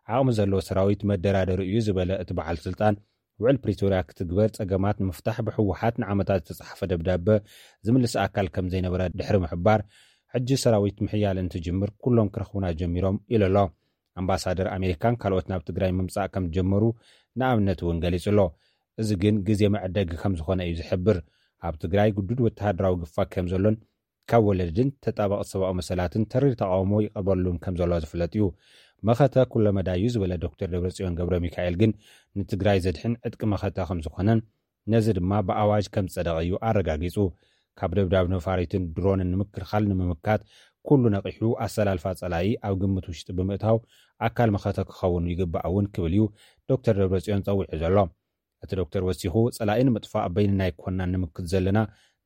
ዓቕሚ ዘለዎ ሰራዊት መደራደሪ እዩ ዝበለ እቲ በዓል ስልጣን፣ ውዕል ፕሪቶርያ ክትግበር ጸገማት ንምፍታሕ ብህወሓት ንዓመታት ዝተጻሕፈ ደብዳበ ዝምልስ ኣካል ከም ዘይነበረ ድሕሪ ምሕባር፣ ሕጂ ሰራዊት ምሕያል እንትጅምር ኩሎም ክረኽቡና ጀሚሮም ኢሉ ኣሎ። ኣምባሳደር ኣሜሪካን ካልኦት ናብ ትግራይ ምምጻእ ከም ዝጀመሩ ንኣብነት እውን ገሊጹ ኣሎ። እዚ ግን ግዜ መዕደጊ ከም ዝኾነ እዩ ዝሕብር። ኣብ ትግራይ ግዱድ ወተሃደራዊ ግፋ ከም ዘሎን ካብ ወለድን ተጣበቕቲ ሰብኣዊ መሰላትን ተሪር ተቓውሞ ይቐርበሉን ከም ዘሎ ዝፍለጥ እዩ። መኸተ ኩለመዳይ እዩ ዝበለ ዶክተር ደብረጽዮን ገብረ ሚካኤል ግን ንትግራይ ዘድሕን ዕጥቂ መኸተ ከም ዝኾነን ነዚ ድማ ብኣዋጅ ከም ዝጸደቐ እዩ ኣረጋጊጹ። ካብ ደብዳብ ነፋሪትን ድሮንን ንምክልኻል ንምምካት ኩሉ ነቒሑ ኣሰላልፋ ጸላኢ ኣብ ግምት ውሽጢ ብምእታው ኣካል መኸተ ክኸውን ይግባእ እውን ክብል እዩ ዶክተር ደብረጽዮን ጸዊዑ ዘሎ። እቲ ዶክተር ወሲኹ፣ ጸላኢ ንምጥፋእ በይንና ኣይኮናን ንምክት ዘለና፣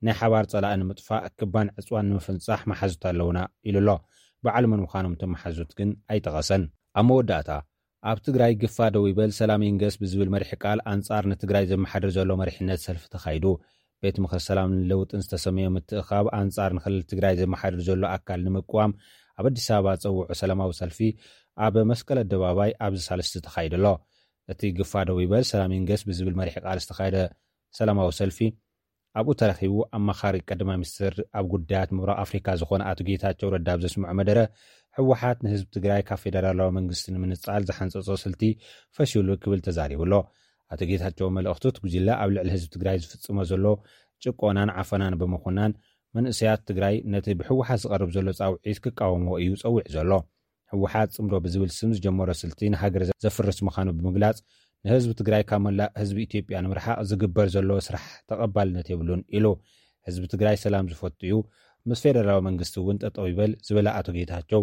ናይ ሓባር ጸላኢ ንምጥፋእ ክባን ዕጽዋን ንምፍንጻሕ መሓዙት ኣለውና ኢሉ ኣሎ። በዓል መን ምዃኖም እቶም መሓዙት ግን ኣይጠቐሰን። ኣብ መወዳእታ፣ ኣብ ትግራይ ግፋ ደው ይበል፣ ሰላም ይንገስ ብዝብል መሪሕ ቃል ኣንጻር ንትግራይ ዘመሓድር ዘሎ መሪሕነት ሰልፊ ተኻይዱ። ቤት ምኽሪ ሰላምን ለውጥን ዝተሰመዮ ምትእኻብ ኣንጻር ንክልል ትግራይ ዘመሓድር ዘሎ ኣካል ንምቅዋም ኣብ ኣዲስ ኣበባ ዝጸውዖ ሰላማዊ ሰልፊ ኣብ መስቀል ኣደባባይ ኣብዚ ሳልስቲ ተኻይዱ ኣሎ። እቲ ግፋ ደው ይበል፣ ሰላም ይንገስ ብዝብል መሪሕ ቃል ዝተኻየደ ሰላማዊ ሰልፊ ኣብኡ ተረኺቡ ኣማኻሪ ቀዳማይ ሚኒስትር ኣብ ጉዳያት ምብራቕ ኣፍሪካ ዝኾነ ኣቶ ጌታቸው ረዳ ኣብ ዘስምዖ መደረ፣ ህወሓት ንህዝቢ ትግራይ ካብ ፌደራላዊ መንግስቲ ንምንጻል ዝሓንጸጾ ስልቲ ፈሽሉ ክብል ተዛሪቡ ኣሎ። ኣቶ ጌታቸው መልእኽቱ፣ እቲ ጉጅለ ኣብ ልዕሊ ህዝቢ ትግራይ ዝፍጽሞ ዘሎ ጭቆናን ዓፈናን ብምኹናን፣ መንእሰያት ትግራይ ነቲ ብህወሓት ዝቐርብ ዘሎ ጻውዒት ክቃወምዎ እዩ ጸዊዑ ዘሎ። ህወሓት ጽምዶ ብዝብል ስም ዝጀመሮ ስልቲ ንሃገር ዘፍርስ ምዃኑ ብምግላጽ፣ ንህዝቢ ትግራይ ካብ መላእ ህዝቢ ኢትዮጵያ ንምርሓቕ ዝግበር ዘሎ ስራሕ ተቐባልነት የብሉን ኢሉ። ህዝቢ ትግራይ ሰላም ዝፈቱ እዩ፣ ምስ ፌደራላዊ መንግስቲ እውን ጠጠው ይበል ዝበለ ኣቶ ጌታቸው፣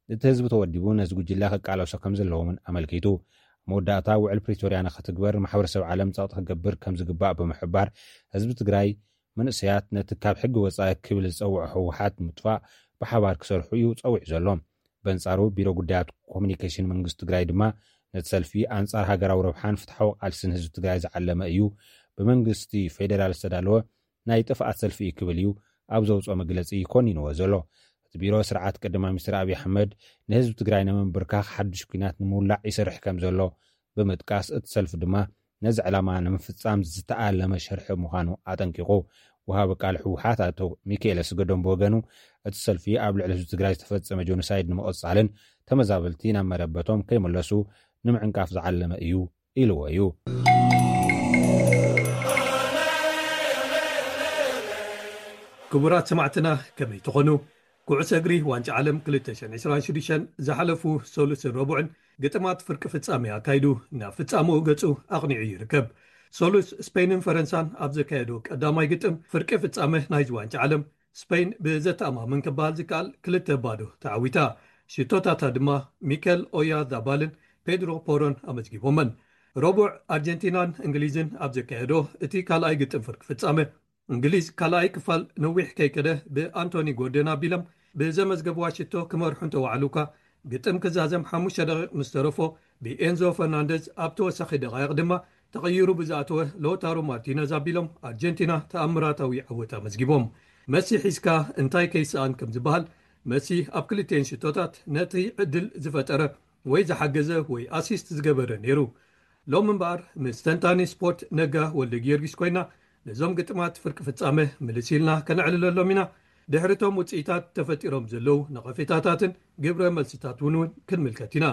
እቲ ህዝቢ ተወዲቡ ነዚ ጉጅለ ክቃለሶ ከም ዘለዎ እውን ኣመልኪቱ። መወዳእታ ውዕል ፕሪቶርያ ንኽትግበር ማሕበረሰብ ዓለም ጸቕጢ ክገብር ከም ዝግባእ ብምሕባር፣ ህዝቢ ትግራይ መንእሰያት ነቲ ካብ ሕጊ ወጻኢ ክብል ዝጸውዖ ህወሓት ምጥፋእ ብሓባር ክሰርሑ እዩ ጸዊዑ ዘሎ። በንጻሩ ቢሮ ጉዳያት ኮሙኒኬሽን መንግስቲ ትግራይ ድማ ነቲ ሰልፊ ኣንጻር ሃገራዊ ረብሓን ፍትሓዊ ቃልስን ህዝቢ ትግራይ ዝዓለመ እዩ፣ ብመንግስቲ ፌዴራል ዝተዳለወ ናይ ጥፍኣት ሰልፊ እዩ ክብል እዩ ኣብ ዘውፅኦ መግለፂ ኮኒንዎ ዘሎ። እቲ ቢሮ ስርዓት ቀዳማይ ሚኒስትር ኣብይ ኣሕመድ ንህዝቢ ትግራይ ንምንብርካኽ ሓዱሽ ኲናት ንምውላዕ ይሰርሕ ከም ዘሎ ብምጥቃስ፣ እቲ ሰልፊ ድማ ነዚ ዕላማ ንምፍጻም ዝተኣለመ ሸርሒ ምዃኑ ኣጠንቂቑ። ወሃቢ ቃል ህወሓት ኣቶ ሚካኤል ኣስገዶም ብወገኑ፣ እቲ ሰልፊ ኣብ ልዕሊ ህዝቢ ትግራይ ዝተፈጸመ ጆኖሳይድ ንምቕጻልን ተመዛበልቲ ናብ መረበቶም ከይምለሱ ንምዕንቃፍ ዝዓለመ እዩ ኢልዎ እዩ። ክቡራት ሰማዕትና፣ ከመይ ትኾኑ? ኩዕሶ እግሪ ዋንጫ ዓለም ክልተ ሽሕን ዕስራን ሽዱሽተን ዝሓለፉ ሰሉስን ረቡዕን ግጥማት ፍርቂ ፍጻሜ ኣካይዱ ናብ ፍጻመኡ ገጹ ኣቕኒዑ ይርከብ። ሰሉስ ስፔንን ፈረንሳን ኣብ ዘካየዶ ቀዳማይ ግጥም ፍርቂ ፍጻመ ናይዚ ዋንጫ ዓለም፣ ስፔን ብዘተኣማምን ክበሃል ዝከኣል ክልተ ባዶ ተዓዊታ። ሽቶታታ ድማ ሚከል ኦያዛባልን ፔድሮ ፖሮን ኣመዝጊቦመን። ረቡዕ ኣርጀንቲናን እንግሊዝን ኣብ ዘካየዶ እቲ ካልኣይ ግጥም ፍርቂ ፍጻመ፣ እንግሊዝ ካልኣይ ክፋል ነዊሕ ከይከደ ብኣንቶኒ ጎርደን ኣቢሎም ብዘመዝገብዋ ሽቶ ክመርሑ እንተወዓሉ እኳ፣ ግጥም ክዛዘም ሓሙሽተ ደቂቕ ምስ ተረፎ ብኤንዞ ፈርናንደዝ፣ ኣብ ተወሳኺ ደቓይቕ ድማ ተቐይሩ ብዝኣተወ ሎታሮ ማርቲነዝ ኣቢሎም ኣርጀንቲና ተኣምራታዊ ዓወት ኣመዝጊቦም። መሲ ሒዝካ እንታይ ከይሰኣን ከም ዝበሃል፣ መሲ ኣብ ክልቲኤን ሽቶታት ነቲ ዕድል ዝፈጠረ ወይ ዝሓገዘ ወይ ኣሲስት ዝገበረ ነይሩ። ሎም እምበኣር ምስ ተንታኒ ስፖርት ነጋ ወልደ ጊዮርጊስ ኮይና ነዞም ግጥማት ፍርቂ ፍጻመ ምልስ ኢልና ከነዕልለሎም ኢና። ድሕሪቶም ውፅኢታት ተፈጢሮም ዘለዉ ነቐፌታታትን ግብረ መልስታት እውን እውን ክንምልከት ኢና።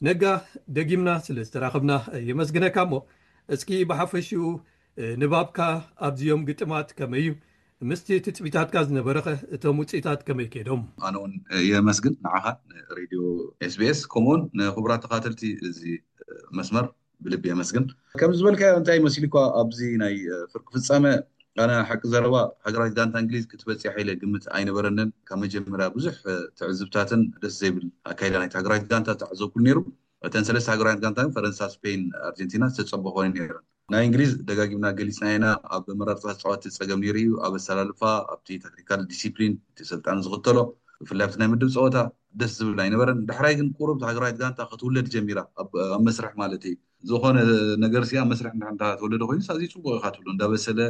ነጋ፣ ደጊምና ስለ ዝተራኸብና የመስግነካ። እሞ እስኪ ብሓፈሽኡ ንባብካ ኣብዚኦም ግጥማት ከመይ እዩ? ምስቲ ትፅቢታትካ ዝነበረኸ እቶም ውፅኢታት ከመይ ከይዶም? ኣነ እውን የመስግን ንዓኻ፣ ንሬድዮ ኤስቢኤስ፣ ከምኡውን ንክቡራት ተኻተልቲ እዚ መስመር ብልቢ የመስግን። ከም ዝበልካዮ እንታይ መሲሉ እኳ ኣብዚ ናይ ፍርቂ ፍጻመ ኣነ ሓቂ ዘረባ ሃገራዊት ጋንታ እንግሊዝ ክትበፅሕ ኢለ ግምት ኣይነበረንን። ካብ መጀመርያ ብዙሕ ትዕዝብታትን ደስ ዘይብል ኣካይዳ ናይቲ ሃገራዊት ጋንታ ተዓዘብኩሉ ነይሩ። እተን ሰለስተ ሃገራዊት ጋንታ ፈረንሳ፣ ስፔን፣ ኣርጀንቲና ዝተፀበኾ ነይረን። ናይ እንግሊዝ ደጋጊምና ገሊፅና ኢና። ኣብ መራርፃ ተፃወቲ ፀገም ነይሩ እዩ። ኣብ ኣሰላልፋ፣ ኣብቲ ታክቲካል ዲሲፕሊን እቲ ሰልጣኒ ዝኽተሎ፣ ብፍላይ ኣብቲ ናይ ምድብ ፀወታ ደስ ዝብል ኣይነበረን። ዳሕራይ ግን ቁሩብ ሃገራዊት ጋንታ ክትውለድ ጀሚራ፣ ኣብ መስርሕ ማለት እዩ። ዝኾነ ነገር ሲ ኣብ መስርሕ እንዳ ተወለደ ኮይኑ ኣዝዩ ፅቡቕ ኢኻ ትብሎ፣ እንዳበሰለ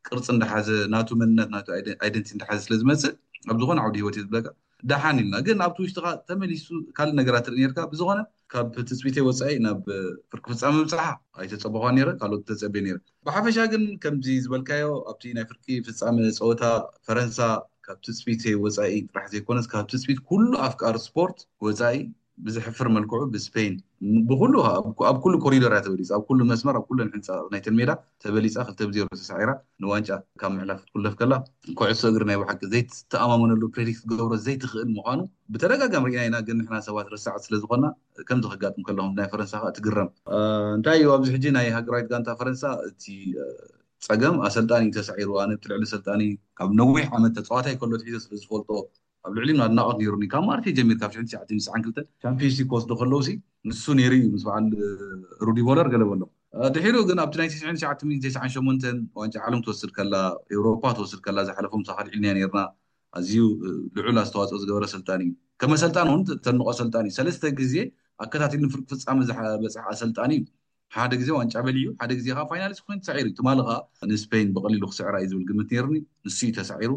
ቅርፂ እንዳሓዘ ናቱ መንነት ናቱ ኣይደንቲ እንዳሓዘ ስለ ዝመፅእ ኣብ ዝኾነ ዓውዲ ህይወት እዩ ዝብለካ። ደሓን ኢልና ግን ኣብቲ ውሽጥኻ ተመሊሱ ካልእ ነገራት ትርኢ ነርካ። ብዝኾነ ካብ ትፅቢተይ ወፃኢ ናብ ፍርቂ ፍፃመ ምብፃሓ ኣይተፀበኳ ነይረ፣ ካልኦት ተፀቤ ነይረ። ብሓፈሻ ግን ከምዚ ዝበልካዮ ኣብቲ ናይ ፍርቂ ፍፃመ ፀወታ ፈረንሳ ካብ ትፅቢተይ ወፃኢ ጥራሕ ዘይኮነስ ካብ ትፅቢት ኩሉ ኣፍቃሪ ስፖርት ወፃኢ ብዝሕፍር መልክዑ ብስፔን ብኩሉ ኣብ ኩሉ ኮሪዶር እያ ተበሊፃ፣ ኣብ ኩሉ መስመር ኣብ ኩለን ሕንፃ ናይተን ሜዳ ተበሊፃ ክልተ ብዜሮ ተሳዒራ ንዋንጫ ካብ ምሕላፍ ክትኩለፍ ከላ፣ ኩዕሶ እግሪ ናይ ብሓቂ ዘይትተኣማመነሉ፣ ፕሬዲክት ክትገብሮ ዘይትኽእል ምዃኑ ብተደጋጋሚ ርኢና ኢና። ግን ንሕና ሰባት ረሳዕቲ ስለዝኾና ከምዚ ከጋጥም ከለኹም ናይ ፈረንሳ ከዓ ትግረም። እንታይ እዩ ኣብዚ ሕጂ ናይ ሃገራዊት ጋንታ ፈረንሳ እቲ ፀገም ኣሰልጣኒ እዩ ተሳዒሩ። ኣነ ብቲ ልዕሊ ኣሰልጣኒ ካብ ነዊሕ ዓመት ተፃዋታይ ከሎ ኣትሒዘ ስለዝፈልጦ ኣብ ልዕሊኡ ኣድናቖት ነይሩኒ። ካብ ማርሴ ጀሚር ካብ ሽሕን ትሽዓተ ሚእትን ትስዓን ክልተን ቻምፒዮንስ ሊግ ክወስዱ ከለውሲ ንሱ ነይሩ እዩ ምስ በዓል ሩዲ ቮለር ገለ በሎም። ድሒሩ ግን ኣብቲ ናይ ትሽዓን ትሽዓተ ሚእትን ትስዓን ሸሞንተን ዋንጫ ዓለም ትወስድ ከላ፣ ኤውሮፓ ትወስድ ከላ ዝሓለፎም ሳኻል ዒልንያ ነይርና። ኣዝዩ ልዑል ኣስተዋፅኦ ዝገበረ ኣሰልጣኒ እዩ። ከም ኣሰልጣኒ እውን ተድንቖ ኣሰልጣኒ እዩ። ሰለስተ ግዜ ኣከታቲሉ ንፍርቂ ፍጻመ ዝበጽሐ ኣሰልጣኒ እዩ። ሓደ ግዜ ዋንጫ በሊዑ፣ ሓደ ግዜ ከዓ ፋይናሊስት ኮይኑ ተሳዒሩ እዩ። ትማሊ ከዓ ንስፔን ብቐሊሉ ክስዕራ እዩ ዝብል ግምት ነይሩኒ። ንሱ እዩ ተሳዒሩ።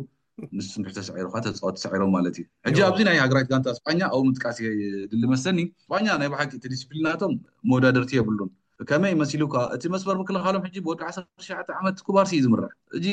ንሱ እንድሕር ተሳዒሩ ከዓ ተፃወት ተሳዒሮም ማለት እዩ። ሕጂ ኣብዚ ናይ ሃገራዊት ጋንታ ስጳኛ ኣብኡ ምጥቃስ የድሊ መሰኒ። ስጳኛ ናይ ብሓቂ እቲ ዲስፕሊናቶም መወዳደርቲ የብሉን። ከመይ መሲሉካ? እቲ መስመር ምክልኻሎም ሕጂ ብወዲ ዓሰርተ ትሽዓተ ዓመት ኩባርሲ እዩ ዝምራሕ። ሕጂ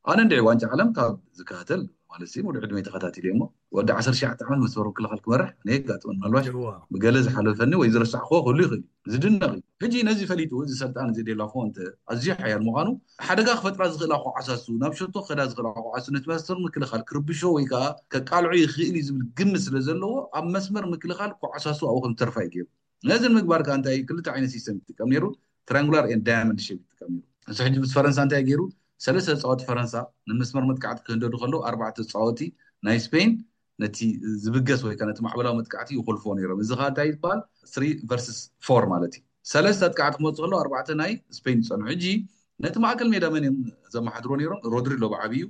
ኣነ እንድዒ ዋንጫ ዓለም ካብ ዝከታተል ማለት ሲ ሙሉ ዕድመይ ተኸታቲለ እሞ ወዲ ዓሰርተ ትሽዓተ ዓመት መስመር ምክልኻል ክመርሕ ኣነ የጋጥመን። ምናልባሽ ብገለ ዝሓለፈኒ ወይ ዝረሳዕክዎ ክህሉ ይኽእል እዩ። ዝድነቕ እዩ። ሕጂ ነዚ ፈሊጡ እዚ ሰልጣን እዚ ዴላ ፎንተ ኣዝዩ ሓያል ምዃኑ ሓደጋ ክፈጥራ ዝኽእላ ኮዓሳሱ ናብ ሸቶ ክኸዳ ዝኽእላ ኮዓሱ ነቲ መስመር ምክልኻል ክርብሾ ወይ ከዓ ከቃልዖ ይኽእል እዩ ዝብል ግምት ስለ ዘለዎ ኣብ መስመር ምክልኻል ኮዓሳሱ ኣብኡ ከም ዝተርፋ እዩ ገይሩ። ነዚ ንምግባር ከዓ እንታይ ክልተ ዓይነት ሲስተም ይጥቀም ነይሩ። ትራንጉላር ኤን ዳያመንድ ሼፕ ይጥቀም ነይሩ። ንሱ ሕጂ ምስ ፈረንሳ እንታይ ገይሩ? ሰለስተ ተፃወቲ ፈረንሳ ንመስመር መጥቃዕቲ ክህንደዱ ከለዉ ኣርባዕተ ተፃወቲ ናይ ስፔን ነቲ ዝብገስ ወይ ከዓ ነቲ ማዕበላዊ መጥቃዕቲ ይኮልፎ ነይሮም። እዚ ከዓ እንታይ ይበሃል? ስሪ ቨርስስ ፎር ማለት እዩ። ሰለስተ ኣጥቃዕቲ ክመፁ ከለዉ ኣርባዕተ ናይ ስፔን ይፀንሑ። ሕጂ ነቲ ማእከል ሜዳ መን እዮም ዘመሓድሮ ነይሮም? ሮድሪ ኣሎ ብዓብዩ፣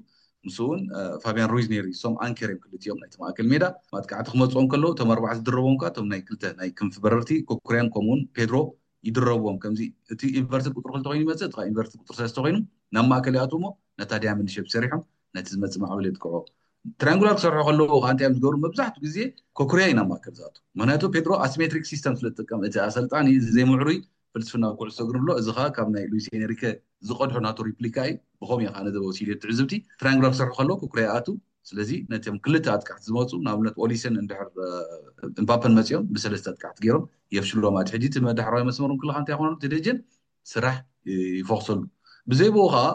ምስ እውን ፋቢያን ሩይዝ ነይሩ። እሶም ኣንከር እዮም ክልቲኦም ናይቲ ማእከል ሜዳ። ማጥቃዕቲ ክመፅኦም ከለዉ እቶም ኣርባዕተ ዝድረቦም ከዓ እቶም ናይ ክልተ ናይ ክንፊ በረርቲ ኮኩርያን ከምኡውን ፔድሮ ይድረብዎም። ከምዚ እቲ ኢንቨርትድ ቁፅሪ ክልተ ኮይኑ ይመፅእ፣ እቲ ኢንቨርትድ ቁፅሪ ሰለስተ ኮይኑ ናብ ማእከል ይኣትዎ እሞ ነታ ዳያመንድ ሼፕ ሰሪሖም ነቲ ዝመፅእ ማዕበል የጥቅዖ። ትራንጉላር ክሰርሑ ከለዉ ከዓ እንታይ እዮም ዝገብሩ? መብዛሕትኡ ግዜ ኮኩርያ እዩ ናብ ማእከል ዝኣቱ። ምክንያቱ ፔድሮ ኣሲሜትሪክ ሲስተም ስለ ዝጥቀም እቲ ኣሰልጣኒ እዚ ዘይምዕሩይ ፍልስፍና ኩዕሶ እግሪ ኣሎ። እዚ ከዓ ካብ ናይ ሉዊስ ኤንሪከ ዝቐድሖ ናቱ ሪፕሊካ እዩ። ብኸምኡ እዩ ከዓ ነዚ ወሲዱ ትዕዝብቲ። ትራንጉላር ክሰርሑ ከለዉ ኮኩርያ ይኣቱ። ስለዚ ነቶም ክልተ ኣጥቃዕቲ ዝመፁ ንኣብነት ኦሊሰን እንድሕር እምባፐን መፂኦም ብሰለስተ ኣጥቃዕቲ ገይሮም የፍሽሎም። ኣቲ ሕጂ እቲ መዳሕራዊ መስመር ምክልኻል እንታይ ይኾነሉ? እቲ ደጀን ስራሕ ይፈኽሰሉ። ብዘይ ብኡ ከዓ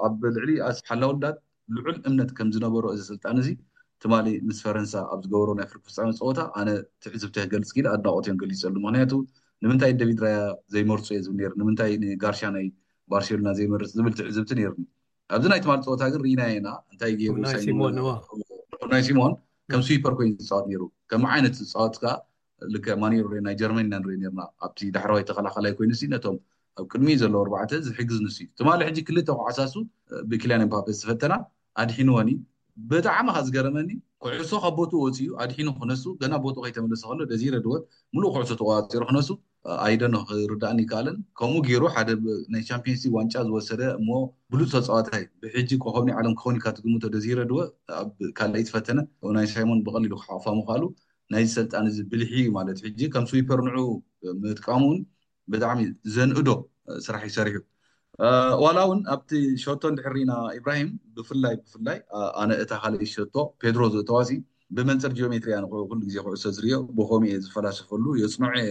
ኣብ ልዕሊ ሓላውዳት ልዑል እምነት ከም ዝነበሮ እዚ ስልጣን እዚ ትማሊ ምስ ፈረንሳ ኣብ ዝገበሮ ናይ ፍርቂ ፍጻመ ፀወታ ኣነ ትዕዝብቲ ክገልፅ ኢለ ኣድናቆት እዮም ገሊፀሉ። ምክንያቱ ንምንታይ ደቪድ ራያ ዘይመርፁ እየ ዝብል ነይሩ፣ ንምንታይ ንጋርሻ ናይ ባርሴሎና ዘይመርፅ ዝብል ትዕዝብቲ ነይሩኒ። ኣብዚ ናይ ትማሊ ፀወታ ግን ርኢናዮ ኢና እንታይ ገይሩ። ናይ ሲሞን ከም ስዊፐር ኮይኑ ዝፃወት ነይሩ። ከም ዓይነት ዝፃወት ከዓ ልክዕ ማኑኤል ሬ ናይ ጀርመን ኢና ንርኢ ነርና። ኣብቲ ዳሕረዋይ ተኸላኸላይ ኮይኑ ሲ ነቶም ኣብ ቅድሚ ዘለዉ ኣርባዕተ ዝሕግዝ ንሱ እዩ። ትማሊ ሕጂ ክልተ ኩዓሳሱ ብኪልያን ኤምባፔ ዝተፈተና ኣድሒንወን እዩ። ብጣዕሚ ካ ዝገረመኒ ኩዕሶ ካብ ቦትኡ ወፂኡ ኣድሒኑ ክነሱ ገና ቦትኡ ከይተመለሰ ከሎ ደዚረ ድወት ሙሉእ ኩዕሶ ተቆፃፂሩ ክነሱ ኣይደኖ ክርዳእኒ ይከኣልን። ከምኡ ገይሩ ሓደ ናይ ቻምፒየንስ ሊግ ዋንጫ ዝወሰደ እሞ ብሉፅ ተፃዋታይ ብሕጂ ኮኸብ ናይ ዓለም ክኸውን ኢልካ ትግምቶ ደዚረ ድወ ኣብ ካልኣይ ዝፈተነ ናይ ሳይሞን ብቐሊሉ ክሓቑፋ ምኽኣሉ ናይዚ ሰልጣን እዚ ብልሒ እዩ ማለት ሕጂ ከም ስዊፐር ንዑ ምጥቃሙ እውን ብጣዕሚ ዘንእዶ ስራሕ እዩ ሰሪሑ። ዋላ እውን ኣብቲ ሸቶ እንድሕር ርኢና ኢብራሂም ብፍላይ ብፍላይ ኣነ እታ ካልኣይ ሸቶ ፔድሮ ዘእተዋሲ ብመንፅር ጂኦሜትሪ ኣነ ኩሉ ግዜ ኩዕሶ ዝርዮ ብኸምኡ እየ ዝፈላሰፈሉ የፅንዖ እየ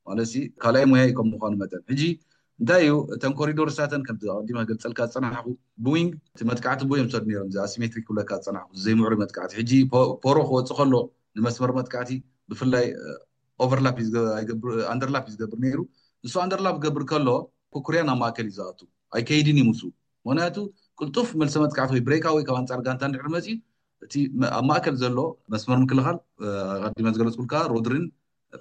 ማለት ሲ ካልኣይ ሙያይ ከም ምኳኑ መጠን ሕጂ እንታይ እዩ እተን ኮሪዶር ሳተን ከምቲ ኣቀዲመ ገልፀልካ ዝፀናሕኩ ብዊንግ እቲ መጥቃዕቲ ብዮም ሰዱ ነይሮም እዚ ኣሲሜትሪክ ክብለካ ዝፀናሕኩ ዘይምዕሩይ መጥቃዕቲ ሕጂ ፖሮ ክወፅእ ከሎ ንመስመር መጥቃዕቲ ብፍላይ ኦቨርላፕ ኣንደርላፕ እዩ ዝገብር ነይሩ። ንሱ ኣንደርላፕ ክገብር ከሎ ኩኩርያ ናብ ማእከል እዩ ዝኣቱ ኣይከይድን እዩ ምስኡ። ምክንያቱ ቅልጡፍ መልሰ መጥቃዕቲ ወይ ብሬካ ወይ ካብ ኣንፃር ጋንታ እንድሕር መፅዩ እቲ ኣብ ማእከል ዘሎ መስመር ምክልኻል ኣቀዲመ ዝገለፅኩልካ ሮድሪን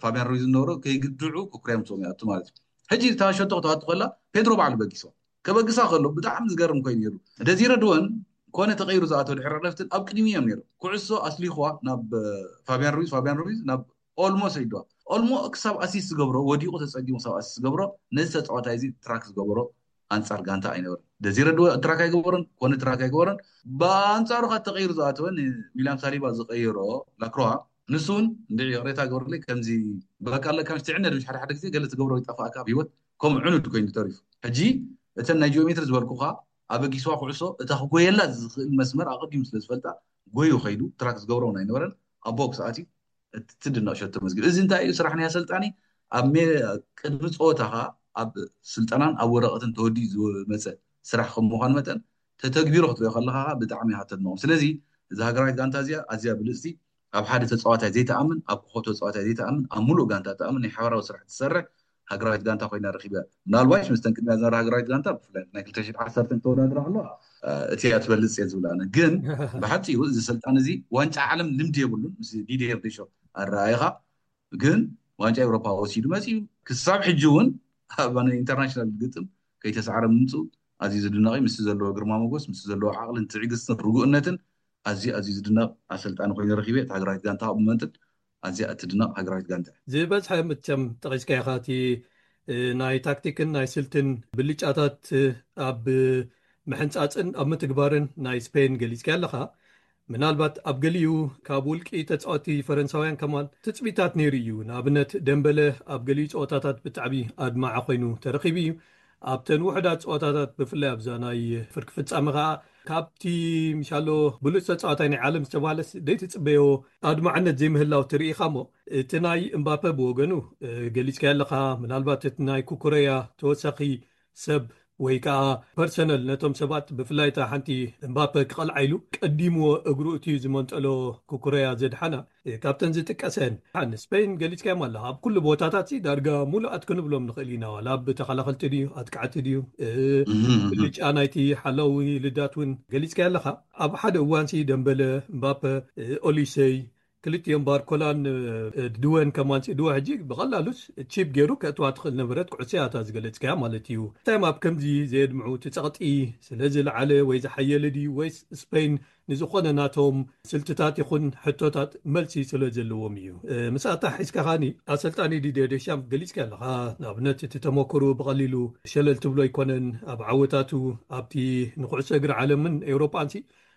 ፋቢያን ሩይዝ ዝነበሮ ከይግድዑ ኩኩርያ ምስኦም ይኣቱ ማለት እዩ። ሕጂ እታ ሸቶ ክተዋቱ ከላ ፔድሮ ባዕሉ በጊስዋ ከበግሳ ከሎ ብጣዕሚ ዝገርም ኮይኑ ነይሩ። ደዚረ ድወን ኮነ ተቀይሩ ዝኣተው ድሕሪ ዕረፍትን ኣብ ቅድሚ እዮም ነይሩ። ኩዕሶ ኣስሊኽዋ ናብ ፋቢያን ሩይዝ፣ ፋቢያን ሩይዝ ናብ ኦልሞ ሰይድዋ። ኦልሞ ክሳብ ኣሲስት ዝገብሮ ወዲቑ ተፀጊሙ ክሳብ ኣሲስት ዝገብሮ ነዚ ተፃዋታይ እዚ ትራክ ዝገበሮ ኣንፃር ጋንታ ኣይነበረን። ደዚረ ድወ ትራክ ኣይገበሮን ኮነ ትራክ ኣይገበሮን። ብኣንፃሩ ካብ ተቀይሩ ዝኣተወ ንዊልያም ሳሊባ ዝቀየሮ ላክሮዋ ንሱ እውን እንድዒ ይቕሬታ ግበርለይ ከምዚ በቃ ኣለካ ምስ ትዕነድ ምሽ ሓደ ሓደ ግዜ ገለ ትገብሮ ይጠፋእካ ኣብ ህይወት ከም ዕኑድ ኮይኑ ተሪፉ። ሕጂ እተን ናይ ጂኦሜትሪ ዝበልኩኻ ኣበጊስዋ ኩዕሶ እታ ክጎየላ ዝኽእል መስመር ኣቐዲሙ ስለ ዝፈልጣ ጎዩ ከይዱ ትራክ ዝገብሮ እውን ኣይነበረን ኣብ ቦክስ ኣትዩ እቲ ትድነቕ ሸቶ መዝጊብ። እዚ እንታይ እዩ ስራሕ ናይ ኣሰልጣኒ ኣብ ቅድሚ ፀወታኻ ኣብ ስልጠናን ኣብ ወረቐትን ተወዲኡ ዝመፀ ስራሕ ከም ምዃኑ መጠን ተተግቢሩ ክትሪኦ ከለኻ ብጣዕሚ ኢኻ ተድንቖም። ስለዚ እዛ ሃገራዊት ጋንታ እዚኣ ኣዝያ ብልፅቲ ኣብ ሓደ ተፃዋታይ ዘይተኣምን ኣብ ኮኸብ ተፃዋታይ ዘይተኣምን ኣብ ሙሉእ ጋንታ ተኣምን ናይ ሓባራዊ ስራሕ ትሰርሕ ሃገራዊት ጋንታ ኮይና ረኺበ። ምናልባሽ ምስተን ቅድሚያ ዝነበራ ሃገራዊት ጋንታ ብፍላይ ናይ ክልተ ሽሕን ዓሰርተን ተወዳድራ ከለዋ እቲ እያ ትበልፅ እየ ዝብል ኣነ ግን ብሓፂሩ እዚ ሰልጣን እዚ ዋንጫ ዓለም ልምዲ የብሉን ምስ ዲዲየር ዴሾ ኣረኣይኻ ግን ዋንጫ ኤውሮፓ ወሲዱ መፂኡ ክሳብ ሕጂ እውን ኣብ ኢንተርናሽናል ግጥም ከይተሰዓረ ምምፅኡ ኣዝዩ ዝድነቕ እዩ። ምስቲ ዘለዎ ግርማ ሞጎስ ምስቲ ዘለዎ ዓቕልን ትዕግስትን ርጉእነትን ኣዝዩ ኣዝዩ ዝድነቕ ኣሰልጣኒ ኮይኑ ረኺበ። እቲ ሃገራዊት ጋንታ ካብ መንጥል ኣዝያ እትድነቕ ሃገራዊት ጋንታ። ዝበዝሐ ምቸም ጠቒስካ ኢኻ። እቲ ናይ ታክቲክን ናይ ስልትን ብልጫታት ኣብ ምሕንጻጽን ኣብ ምትግባርን ናይ ስፔን ገሊጽካ ኣለኻ። ምናልባት ኣብ ገሊኡ ካብ ውልቂ ተጻወቲ ፈረንሳውያን ከማን ትጽቢታት ነይሩ እዩ። ንኣብነት ደምበለ ኣብ ገሊኡ ጸወታታት ብጣዕሚ ኣድማዒ ኮይኑ ተረኺቡ እዩ። ኣብተን ውሕዳት ጸወታታት ብፍላይ ኣብዛ ናይ ፍርቂ ፍጻመ ኸኣ ካብቲ ምሻሎ ብሉጽ ተጻዋታይ ናይ ዓለም ዝተባህለስ ደይትጽበዮ ኣድማዕነት ዘይምህላው ትርኢ ኢኻ። እሞ እቲ ናይ እምባፐ ብወገኑ ገሊጽካ ኣለኻ። ምናልባት እቲ ናይ ኩኩረያ ተወሳኺ ሰብ ወይ ከዓ ፐርሰነል ነቶም ሰባት ብፍላይ እታ ሓንቲ እምባፐ ክቐልዓ ኢሉ ቀዲምዎ እግሩ እቲ ዝመንጠሎ ኩኩረያ ዘድሓና ካብተን ዝጥቀሰን ንስፔን ገሊጽካዮም ኣለኻ። ኣብ ኩሉ ቦታታት ዳርጋ ሙሉኣት ክንብሎም ንኽእል ኢና። ዋላ ኣብ ተኸላኸልቲ ድዩ ኣጥቃዕቲ ድዩ ብልጫ ናይቲ ሓላዊ ልዳት እውን ገሊጽካዮ ኣለኻ። ኣብ ሓደ እዋንሲ ደምበለ፣ እምባፐ፣ ኦሊሰይ ክልቲኦም ባርኮላን ድወን ከማን ድወ ሕጂ ብቐላሉስ ቺፕ ገይሩ ከእትዋ ትኽእል ነበረት ኩዕሶ እያ እታ ዝገለጽካያ ማለት እዩ። እንታይ ኣብ ከምዚ ዘየድምዑ እቲ ጸቕጢ ስለ ዝለዓለ ወይ ዝሓየለ ድዩ ወይስ ስፔን ንዝኾነ ናቶም ስልትታት ይኹን ሕቶታት መልሲ ስለ ዘለዎም እዩ። ምስኣታ ሒዝካ ኻኒ ኣሰልጣኒ ዲድየ ዴሻም ገሊጽካ ኣለኻ። ንኣብነት እቲ ተመክሩ ብቐሊሉ ሸለል ትብሎ ኣይኮነን። ኣብ ዓወታቱ ኣብቲ ንኩዕሶ እግሪ ዓለምን ኤውሮጳንሲ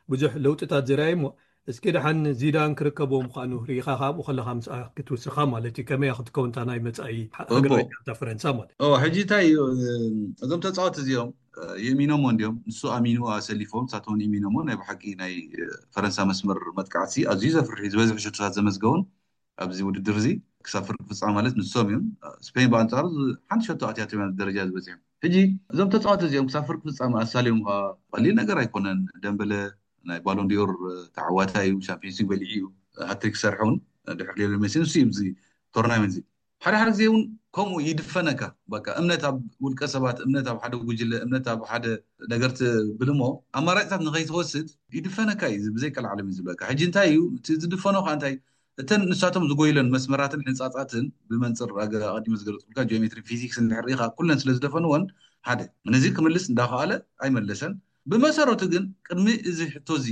ብዙሕ ለውጥታት ዘርኣየ እሞ እስኪ ደሓን ዚዳን ክርከቦ ምዃኑ ርኢኻ ካብኡ ከለኻ ምስኣ ክትውስኻ ማለት እዩ። ከመይ ክትከውን እታ ናይ መጻኢ ሃገራዊት ጋንታ ፈረንሳ ማለት ሕጂ እንታይ እዩ እዞም ተጻወት እዚኦም የእሚኖሞ እንዲዮም ንሱ ኣሚኑ ኣሰሊፎም ሳተውን ኢሚኖሞ ናይ ብሓቂ ናይ ፈረንሳ መስመር መጥቃዕቲ ኣዝዩ ዘፍርሒ ዝበዝሕ ሽቶታት ዘመዝገቡን ኣብዚ ውድድር እዚ ክሳብ ፍርቂ ፍጻመ ማለት ንሶም እዮም። ስፔን ብኣንጻሩ ሓንቲ ሸቶ ኣትያቶም ደረጃ ዝበጽሑ ሕጂ እዞም ተጻወት እዚኦም ክሳብ ፍርቂ ፍጻመ ኣሳልዮም ከ ቀሊል ነገር ኣይኮነን። ደምበለ ናይ ባሎን ዲዮር ተዓዋታይ እዩ። ሻምፒዮንስ ሊግ በሊዑ እዩ። ሃትሪክ ክሰርሕ እውን ድሕሪ ሊዮኔል ሜሲ ንሱ እዩ እዚ ቶርናመንት እዚ ሓደ ሓደ ግዜ እውን ከምኡ ይድፈነካ። በቃ እምነት ኣብ ውልቀ ሰባት፣ እምነት ኣብ ሓደ ጉጅለ፣ እምነት ኣብ ሓደ ነገር ትብል እሞ ኣማራጭታት ንኸይትወስድ ይድፈነካ እዩ። ብዘይቀልዓለም እዩ ዝብለካ። ሕጂ እንታይ እዩ እቲ ዝድፈኖ ከዓ እንታይ እተን ንሳቶም ዝጎይለን መስመራትን ሕንፃፃትን ብመንፅር ኣቀዲመ ዝገለፅኩልካ ጂኦሜትሪ ፊዚክስ እንድሕር ርኢኻ ኩለን ስለ ዝደፈንወን ሓደ ነዚ ክምልስ እንዳኸኣለ ኣይመለሰን። ብመሰረቱ ግን ቅድሚ እዚ ሕቶ እዚ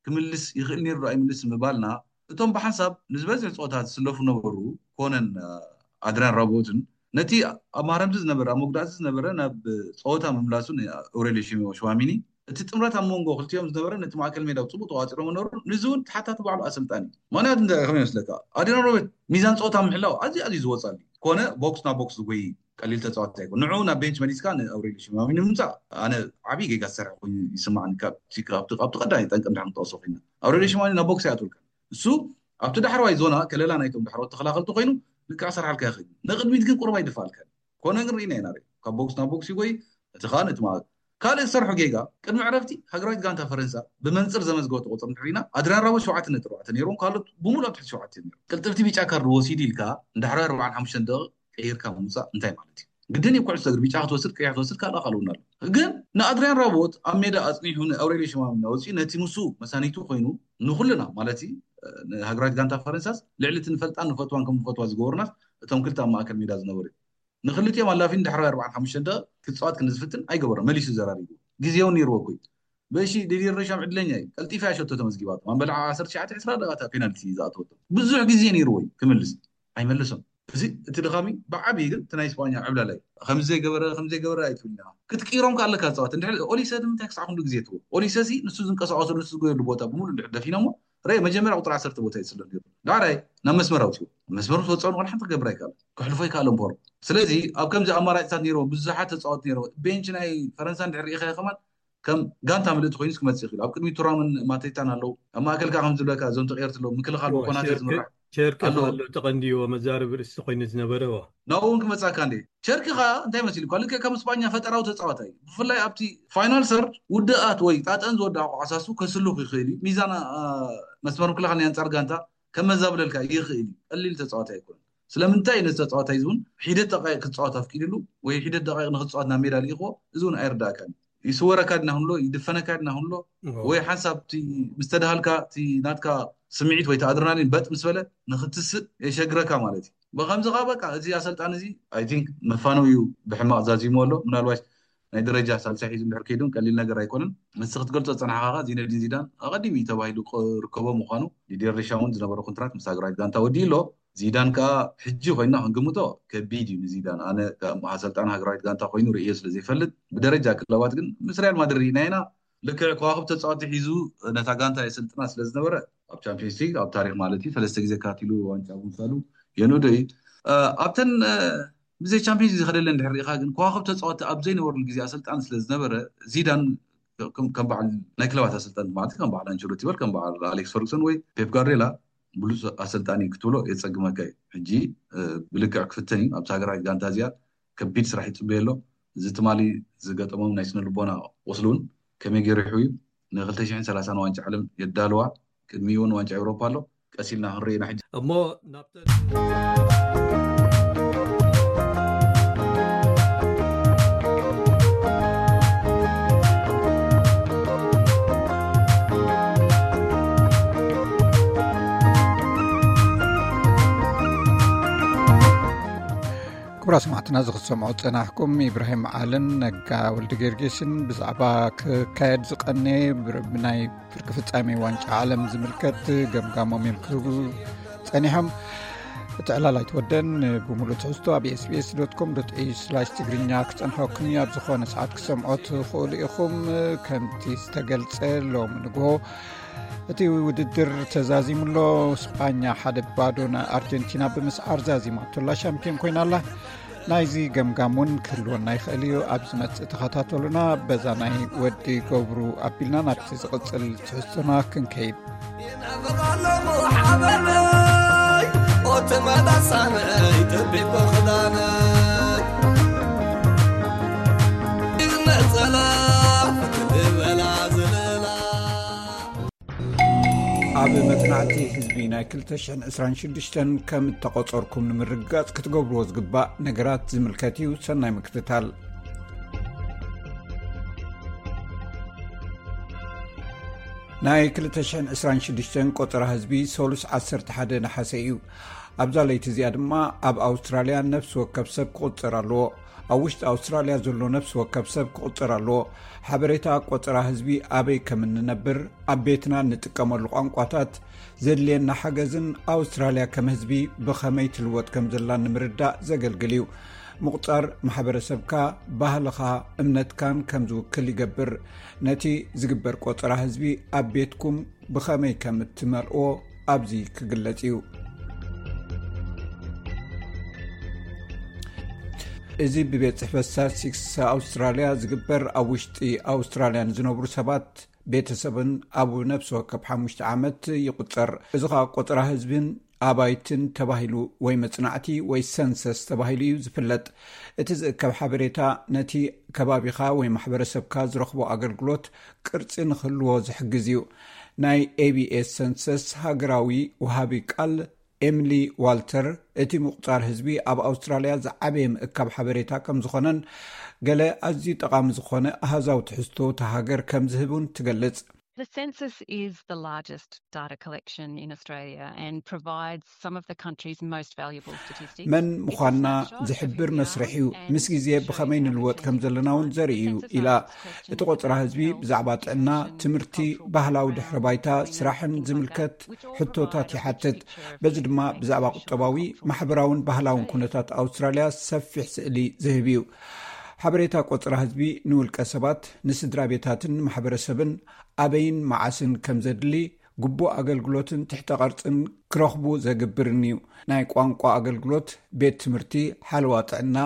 ክምልስ ይኽእል ነይሩ ዶ ኣይምልስ ምባልና እቶም ብሓንሳብ ንዝበዝሕ ፀወታ ዝስለፉ ነበሩ ኮነን ኣድሪያን ራቦትን ነቲ ኣብ ማረምቲ ዝነበረ ኣብ መጉዳእቲ ዝነበረ ናብ ፀወታ ምምላሱ ንኣውሬልዮ ሽዋሚኒ እቲ ጥምረት ኣብ መንጎ ክልቲኦም ዝነበረ ነቲ ማእከል ሜዳ ብፅቡቅ ተቋፂሮ መነሩ ንዚ እውን ተሓታቲ ባዕሉ ኣሰልጣኒ እዩ። ምክንያቱ እንታይ ከመይ ይመስለካ ኣድሪያን ራቦት ሚዛን ፀወታ ምሕላው ኣዝዩ ኣዝዩ ዝወፃሉ ኮነ ቦክስ ናብ ቦክስ ዝጎይ ቀሊል ተፃዋታይ ኣይኮን። ንዑ ናብ ቤንች መሊስካ ንኣውሬልዮ ሽማሚኒ ምምፃእ ኣነ ዓብዪ ጌጋ ዝሰርሐ ኮይኑ ይስማዓኒ። ካብቲ ቀዳማይ ጠንቂ እንድሕር ክንጠቕሶ ኮይና ኣውሬልዮ ሽማሚኒ ናብ ቦክስ ኣይኣትወልካን። እሱ ኣብቲ ዳሕረዋይ ዞና ከለላ ናይቶም ዳሕረዎት ተኸላኸልቲ ኮይኑ ልክዕ ክሰርሓልካ ይኽእል እዩ። ንቕድሚት ግን ቁሩብ ኣይድፍኣልካን። ኮነ ግን ርኢና ኢና ካብ ቦክስ ናብ ቦክስ ይጎይ እቲ ከዓ ነቲ ማለት ካልእ ዝሰርሖ ጌጋ ቅድሚ ዕረፍቲ ሃገራዊት ጋንታ ፈረንሳ ብመንፅር ዘመዝገበቶ ቁፅሪ እንድሕር ርኢና ኣድሪያን ራቦት ሸውዓተ ነጥቢ ኣርባዕተ ነይሮም ካልኦት ብምሉእ ኣብ ትሕቲ ሸውዓተ ነይሮም። ቅልጥፍቲ ቢጫ ካርድ ወሲዱ ኢልካ እንድሕር ኣርባዓን ሓሙሽተን ደቂቕ ቀይርካ ምውፃእ እንታይ ማለት እዩ? ግድን እዩ ኩዕሶ እግሪ ቢጫ ክትወስድ ቀይሕ ክትወስድ ካልኣ ካልኡና ኣሎ። ግን ንኣድሪያን ራቦት ኣብ ሜዳ ኣፅኒሑ ንኣውሬልዮ ሽማሚኒ ኣውፂኡ ነቲ ምስኡ መሳኒቱ ኮይኑ ንኩልና ማለት ንሃገራዊት ጋንታ ፈረንሳስ ልዕሊ እቲ ንፈልጣን ንፈትዋን ከም ንፈትዋ ዝገበሩናስ እቶም ክልተ ኣብ ማእከል ሜዳ ዝነበሩ እዮም። ንክልቲኦም ኣላፊን ድሕራይ ኣርባዓን ሓሙሽተን ደቂቕ ክፃወት ክንዝፍትን ኣይገበሮን። መሊሱ ዘራሪቡ ግዜ እውን ነይርዎ እኮ እዩ። በሺ ዲዲየር ዴሻም ዕድለኛ እዩ። ቀልጢፋ እያ ሸቶ ተመዝጊባቶ። ኣንበላ ዓሰርተ ትሽዓተ ዕስራ ደቂቓ ፔናልቲ ዝኣተወቶ ብዙሕ ግዜ ነይርዎ እዩ ክምልስ ኣይመለሶን። እዚ እቲ ድኻሚ ብዓብዪ ግን እቲ ናይ ስጳኛ ዕብላላ እዩ። ከምዚ ዘይገበረ ከምዚ ዘይገበረ ኣይትብልና ክትቅይሮም ከ ኣለካ ዝፃወት እንድሕር ኦሊሰ ንምንታይ ክሳዕ ክንዱ ግዜ ትዎ ኦሊሰ ሲ ንሱ ዝንቀሳቀሰሉ ንሱ ዝጎየሉ ቦታ ብምሉእ እንድሕር ደፊኖሞ ረ መጀመርያ ቁፅሪ ዓሰርተ ቦታ ይፅሎ ነይሩ ዳሕራይ ናብ መስመር ኣውፅዎ መስመሩ ትወፅኦ ንቆል ሓንቲ ክገብር ኣይከኣለ ክሕልፎ ይከኣለ እምበሩ ስለዚ ኣብ ከምዚ ኣማራጭታት ነይርዎ ብዙሓት ተፃወት ነይርዎ ቤንች ናይ ፈረንሳ እንድሕር ርኢኸ ከማን ከም ጋንታ ምልእቲ ኮይኑ ክመፅእ ይኽእል ኣብ ቅድሚ ቱራምን ማቴታን ኣለዉ ኣብ ማእከል ከዓ ከም ዝብለካ እዞም ተቀየርቲ ኣለዉ ምክልኻል ብኮናተ ዝምራሕ ቸርኪ ኣሎ ተቐንዲዎ መዛረቢ ርእሲ ኮይኑ ዝነበረ ናብኡ እውን ክመፃካ እንደ ቸርኪ ከዓ እንታይ መሲሉ ልክዕ ከም ስጳኛ ፈጠራዊ ተፃዋታይ እዩ ብፍላይ ኣብቲ ፋይናል ሰርድ ውድኣት ወይ ጣጠን ዝወድኣ ኳዕሳሱ ከስልኽ ይኽእል እዩ ሚዛን መስመር ምክልኻል ናይ ኣንፃር ጋንታ ከመዛብለልካ ይኽእል እዩ ቀሊል ተፃዋታይ ኣይኮነን ስለምንታይ ነዚ ተፃዋታይ እዚ እውን ሒደት ደቃይቅ ክፃወት ኣፍቂድሉ ወይ ሒደት ደቃይቅ ንክፃወት ናብ ሜዳ ልኢኽዎ እዚ እውን ኣይርዳእካን እዩ ይስወረካ ድና ክንሎ ይድፈነካ ድና ክንሎ ወይ ሓንሳብ ምስተድሃልካ እቲ ናትካ ስምዒት ወይ ኣድረናሊን በጥ ምስ በለ ንክትስእ የሸግረካ ማለት እዩ ብከምዚ ከዓ በቃ እዚ ኣሰልጣን እዚ ኣይ ቲንክ መፋነው እዩ ብሕማቅ ዛዚሙ ኣሎ ምናልባሽ ናይ ደረጃ ሳልሳይ ሒዙ እንድሕር ከይዱን ቀሊል ነገር ኣይኮነን። ምስ ክትገልጾ ዝጸናሕካ ዚነዲን ዚዳን ኣቐዲሙ እዩ ተባሂሉ ክርከቦ ምዃኑ፣ ዲዲየር ዴሻ እውን ዝነበረ ኮንትራት ምስ ሃገራዊት ጋንታ ወዲኡ ኣሎ። ዚዳን ከኣ ሕጂ ኮይና ክንግምቶ ከቢድ እዩ ንዚዳን። ኣነ ከም ኣሰልጣኒ ሃገራዊት ጋንታ ኮይኑ ርእዮ ስለ ዘይፈልጥ፣ ብደረጃ ክለባት ግን ምስ ሪያል ማድሪድ ኢና ኢና። ልክዕ ከዋኽብ ተጻወቲ ሒዙ ነታ ጋንታ የሰልጥና ስለ ዝነበረ፣ ኣብ ቻምፒዮንስ ሊግ ኣብ ታሪኽ ማለት እዩ፣ ሰለስተ ግዜ ካቲሉ ዋንጫ ምውሳዱ የንእዶ እዩ። ኣብተን ብዘይ ቻምፒዮንስ ሊግ ዝኸደለን ድሕር ርኢኻ ግን ከዋኽብ ተጻወቲ ኣብ ዘይነበሩሉ ግዜ ኣሰልጣኒ ስለ ዝነበረ፣ ዚዳን ከም በዓል ናይ ክለባት ኣሰልጣኒ ማለት ከም በዓል ኣንቸሎቲ በል ከም በዓል ኣሌክስ ፈርጉሰን ወይ ፔፕ ጋርዲዮላ ብሉጽ ኣሰልጣኒ ክትብሎ የጸግመካ እዩ። ሕጂ ብልክዕ ክፍተን እዩ። ኣብቲ ሃገራዊት ጋንታ እዚኣ ከቢድ ስራሕ ይጽበየ ኣሎ። እዚ ትማሊ ዝገጠሞም ናይ ስነ ልቦና ቁስሊ እውን ከመይ ገይሩ ይሕውዩ፣ ን ክልተ ሽሕን ሰላሳን ዋንጫ ዓለም የዳልዋ። ቅድሚኡ እውን ዋንጫ ኤውሮፓ ኣሎ። ቀስ ኢልና ክንርኢ ኢና ሕጂ። እሞ ናብተን ክቡራ ሰማዕትና፣ እዚ ክትሰምዑ ዝጸናሕኩም ኢብራሂም ዓልን ነጋ ወልደ ጊዮርጊስን ብዛዕባ ክካየድ ዝቐነየ ብናይ ፍርቂ ፍጻሜ ዋንጫ ዓለም ዝምልከት ገምጋሞም እዮም ክህቡ ጸኒሖም። እቲ ዕላል ኣይትወደን። ብምሉእ ትሕዝቶ ኣብ ኤስቢኤስ ዶት ኮም ዶት ኤዩ ስላሽ ትግርኛ ክጸንሐኩም እዩ። ኣብ ዝኾነ ሰዓት ክሰምዖ ትኽእሉ ኢኹም። ከምቲ ዝተገልጸ፣ ሎም ንግሆ እቲ ውድድር ተዛዚሙ ኣሎ። ስጳኛ ሓደ ባዶ ንኣርጀንቲና ብምስዓር ዛዚማቶ ኣላ፣ ሻምፒዮን ኮይና ኣላ። ናይዚ ገምጋም እውን ክህልወና ይኽእል እዩ። ኣብ ዝመጽእ ተኸታተሉና። በዛ ናይ ወዲ ገብሩ ኣቢልና ናብቲ ዝቕጽል ትሕዝቶና ክንከይድ። ይነብር ኣለኹ ሓበነይ፣ ኦቲ መዳሳነይ፣ ጠቢብ ክዳነይ። ነጸላ ክትበላ ዝለላ። ኣብ መጽናዕቲ ህዝቢ ናይ ክልተ ሽሕን ዕስራን ሽዱሽተን ከም እተቖጸርኩም ንምርግጋጽ ክትገብርዎ ዝግባእ ነገራት ዝምልከት እዩ። ሰናይ ምክትታል። ናይ ክልተ ሽሕን ዕስራን ሽዱሽተን ቆጸራ ህዝቢ ሰሉስ ዓሰርተ ሓደ ነሓሰ እዩ። ኣብዛ ለይቲ እዚኣ ድማ ኣብ ኣውስትራልያ ነፍሲ ወከፍ ሰብ ክቑጸር ኣለዎ። ኣብ ውሽጢ ኣውስትራልያ ዘሎ ነፍሲ ወከፍ ሰብ ክቑጸር ኣለዎ። ሓበሬታ ቆጸራ ህዝቢ፣ ኣበይ ከም እንነብር፣ ኣብ ቤትና እንጥቀመሉ ቋንቋታት፣ ዘድልየና ሓገዝን ኣውስትራልያ ከም ህዝቢ ብኸመይ ትልወጥ ከም ዘላ ንምርዳእ ዘገልግል እዩ። ምቑጻር ማሕበረሰብካ፣ ባህልኻ፣ እምነትካን ከም ዝውክል ይገብር። ነቲ ዝግበር ቆጸራ ህዝቢ ኣብ ቤትኩም ብኸመይ ከም እትመልእዎ ኣብዚ ክግለጽ እዩ። እዚ ብቤት ጽሕፈት ስታትስቲክስ ኣውስትራልያ ዝግበር፣ ኣብ ውሽጢ ኣውስትራልያ ንዝነብሩ ሰባት ቤተሰብን ኣብ ነፍሲ ወከፍ ሓሙሽተ ዓመት ይቑጸር። እዚ ኸኣ ቆጸራ ህዝብን ኣባይትን ተባሂሉ ወይ መጽናዕቲ ወይ ሰንሰስ ተባሂሉ እዩ ዝፍለጥ። እቲ ዝእከብ ሓበሬታ ነቲ ከባቢኻ ወይ ማሕበረሰብካ ዝረኽቦ ኣገልግሎት ቅርጺ ንኽህልዎ ዝሕግዝ እዩ። ናይ ኤቢኤስ ሰንሰስ ሃገራዊ ወሃቢ ቃል ኤምሊ ዋልተር፣ እቲ ምቑጻር ህዝቢ ኣብ ኣውስትራልያ ዝዓበየ ምእካብ ሓበሬታ ከም ዝኾነን ገለ ኣዝዩ ጠቓሚ ዝኾነ ኣሃዛዊ ትሕዝቶ እታ ሃገር ከም ዝህብ እውን ትገልጽ። The census is the largest data collection in Australia and provides some of the country's most valuable statistics. መን ምዃንና ዝሕብር መስርሕ እዩ። ምስ ግዜ ብኸመይ ንልወጥ ከም ዘለና እውን ዘርኢ እዩ ኢላ። እቲ ቆጸራ ህዝቢ ብዛዕባ ጥዕና፣ ትምህርቲ፣ ባህላዊ ድሕረ ባይታ፣ ስራሕን ዝምልከት ሕቶታት ይሓትት። በዚ ድማ ብዛዕባ ቁጠባዊ፣ ማሕበራውን ባህላውን ኩነታት ኣውስትራልያ ሰፊሕ ስእሊ ዝህብ እዩ። ሓበሬታ ቆጸራ ህዝቢ ንውልቀ ሰባት፣ ንስድራ ቤታትን ንማሕበረሰብን ኣበይን መዓስን ከም ዘድሊ፣ ግቡእ ኣገልግሎትን ትሕተ ቅርጽን ክረኽቡ ዘግብርን እዩ። ናይ ቋንቋ ኣገልግሎት፣ ቤት ትምህርቲ፣ ሓለዋ ጥዕና፣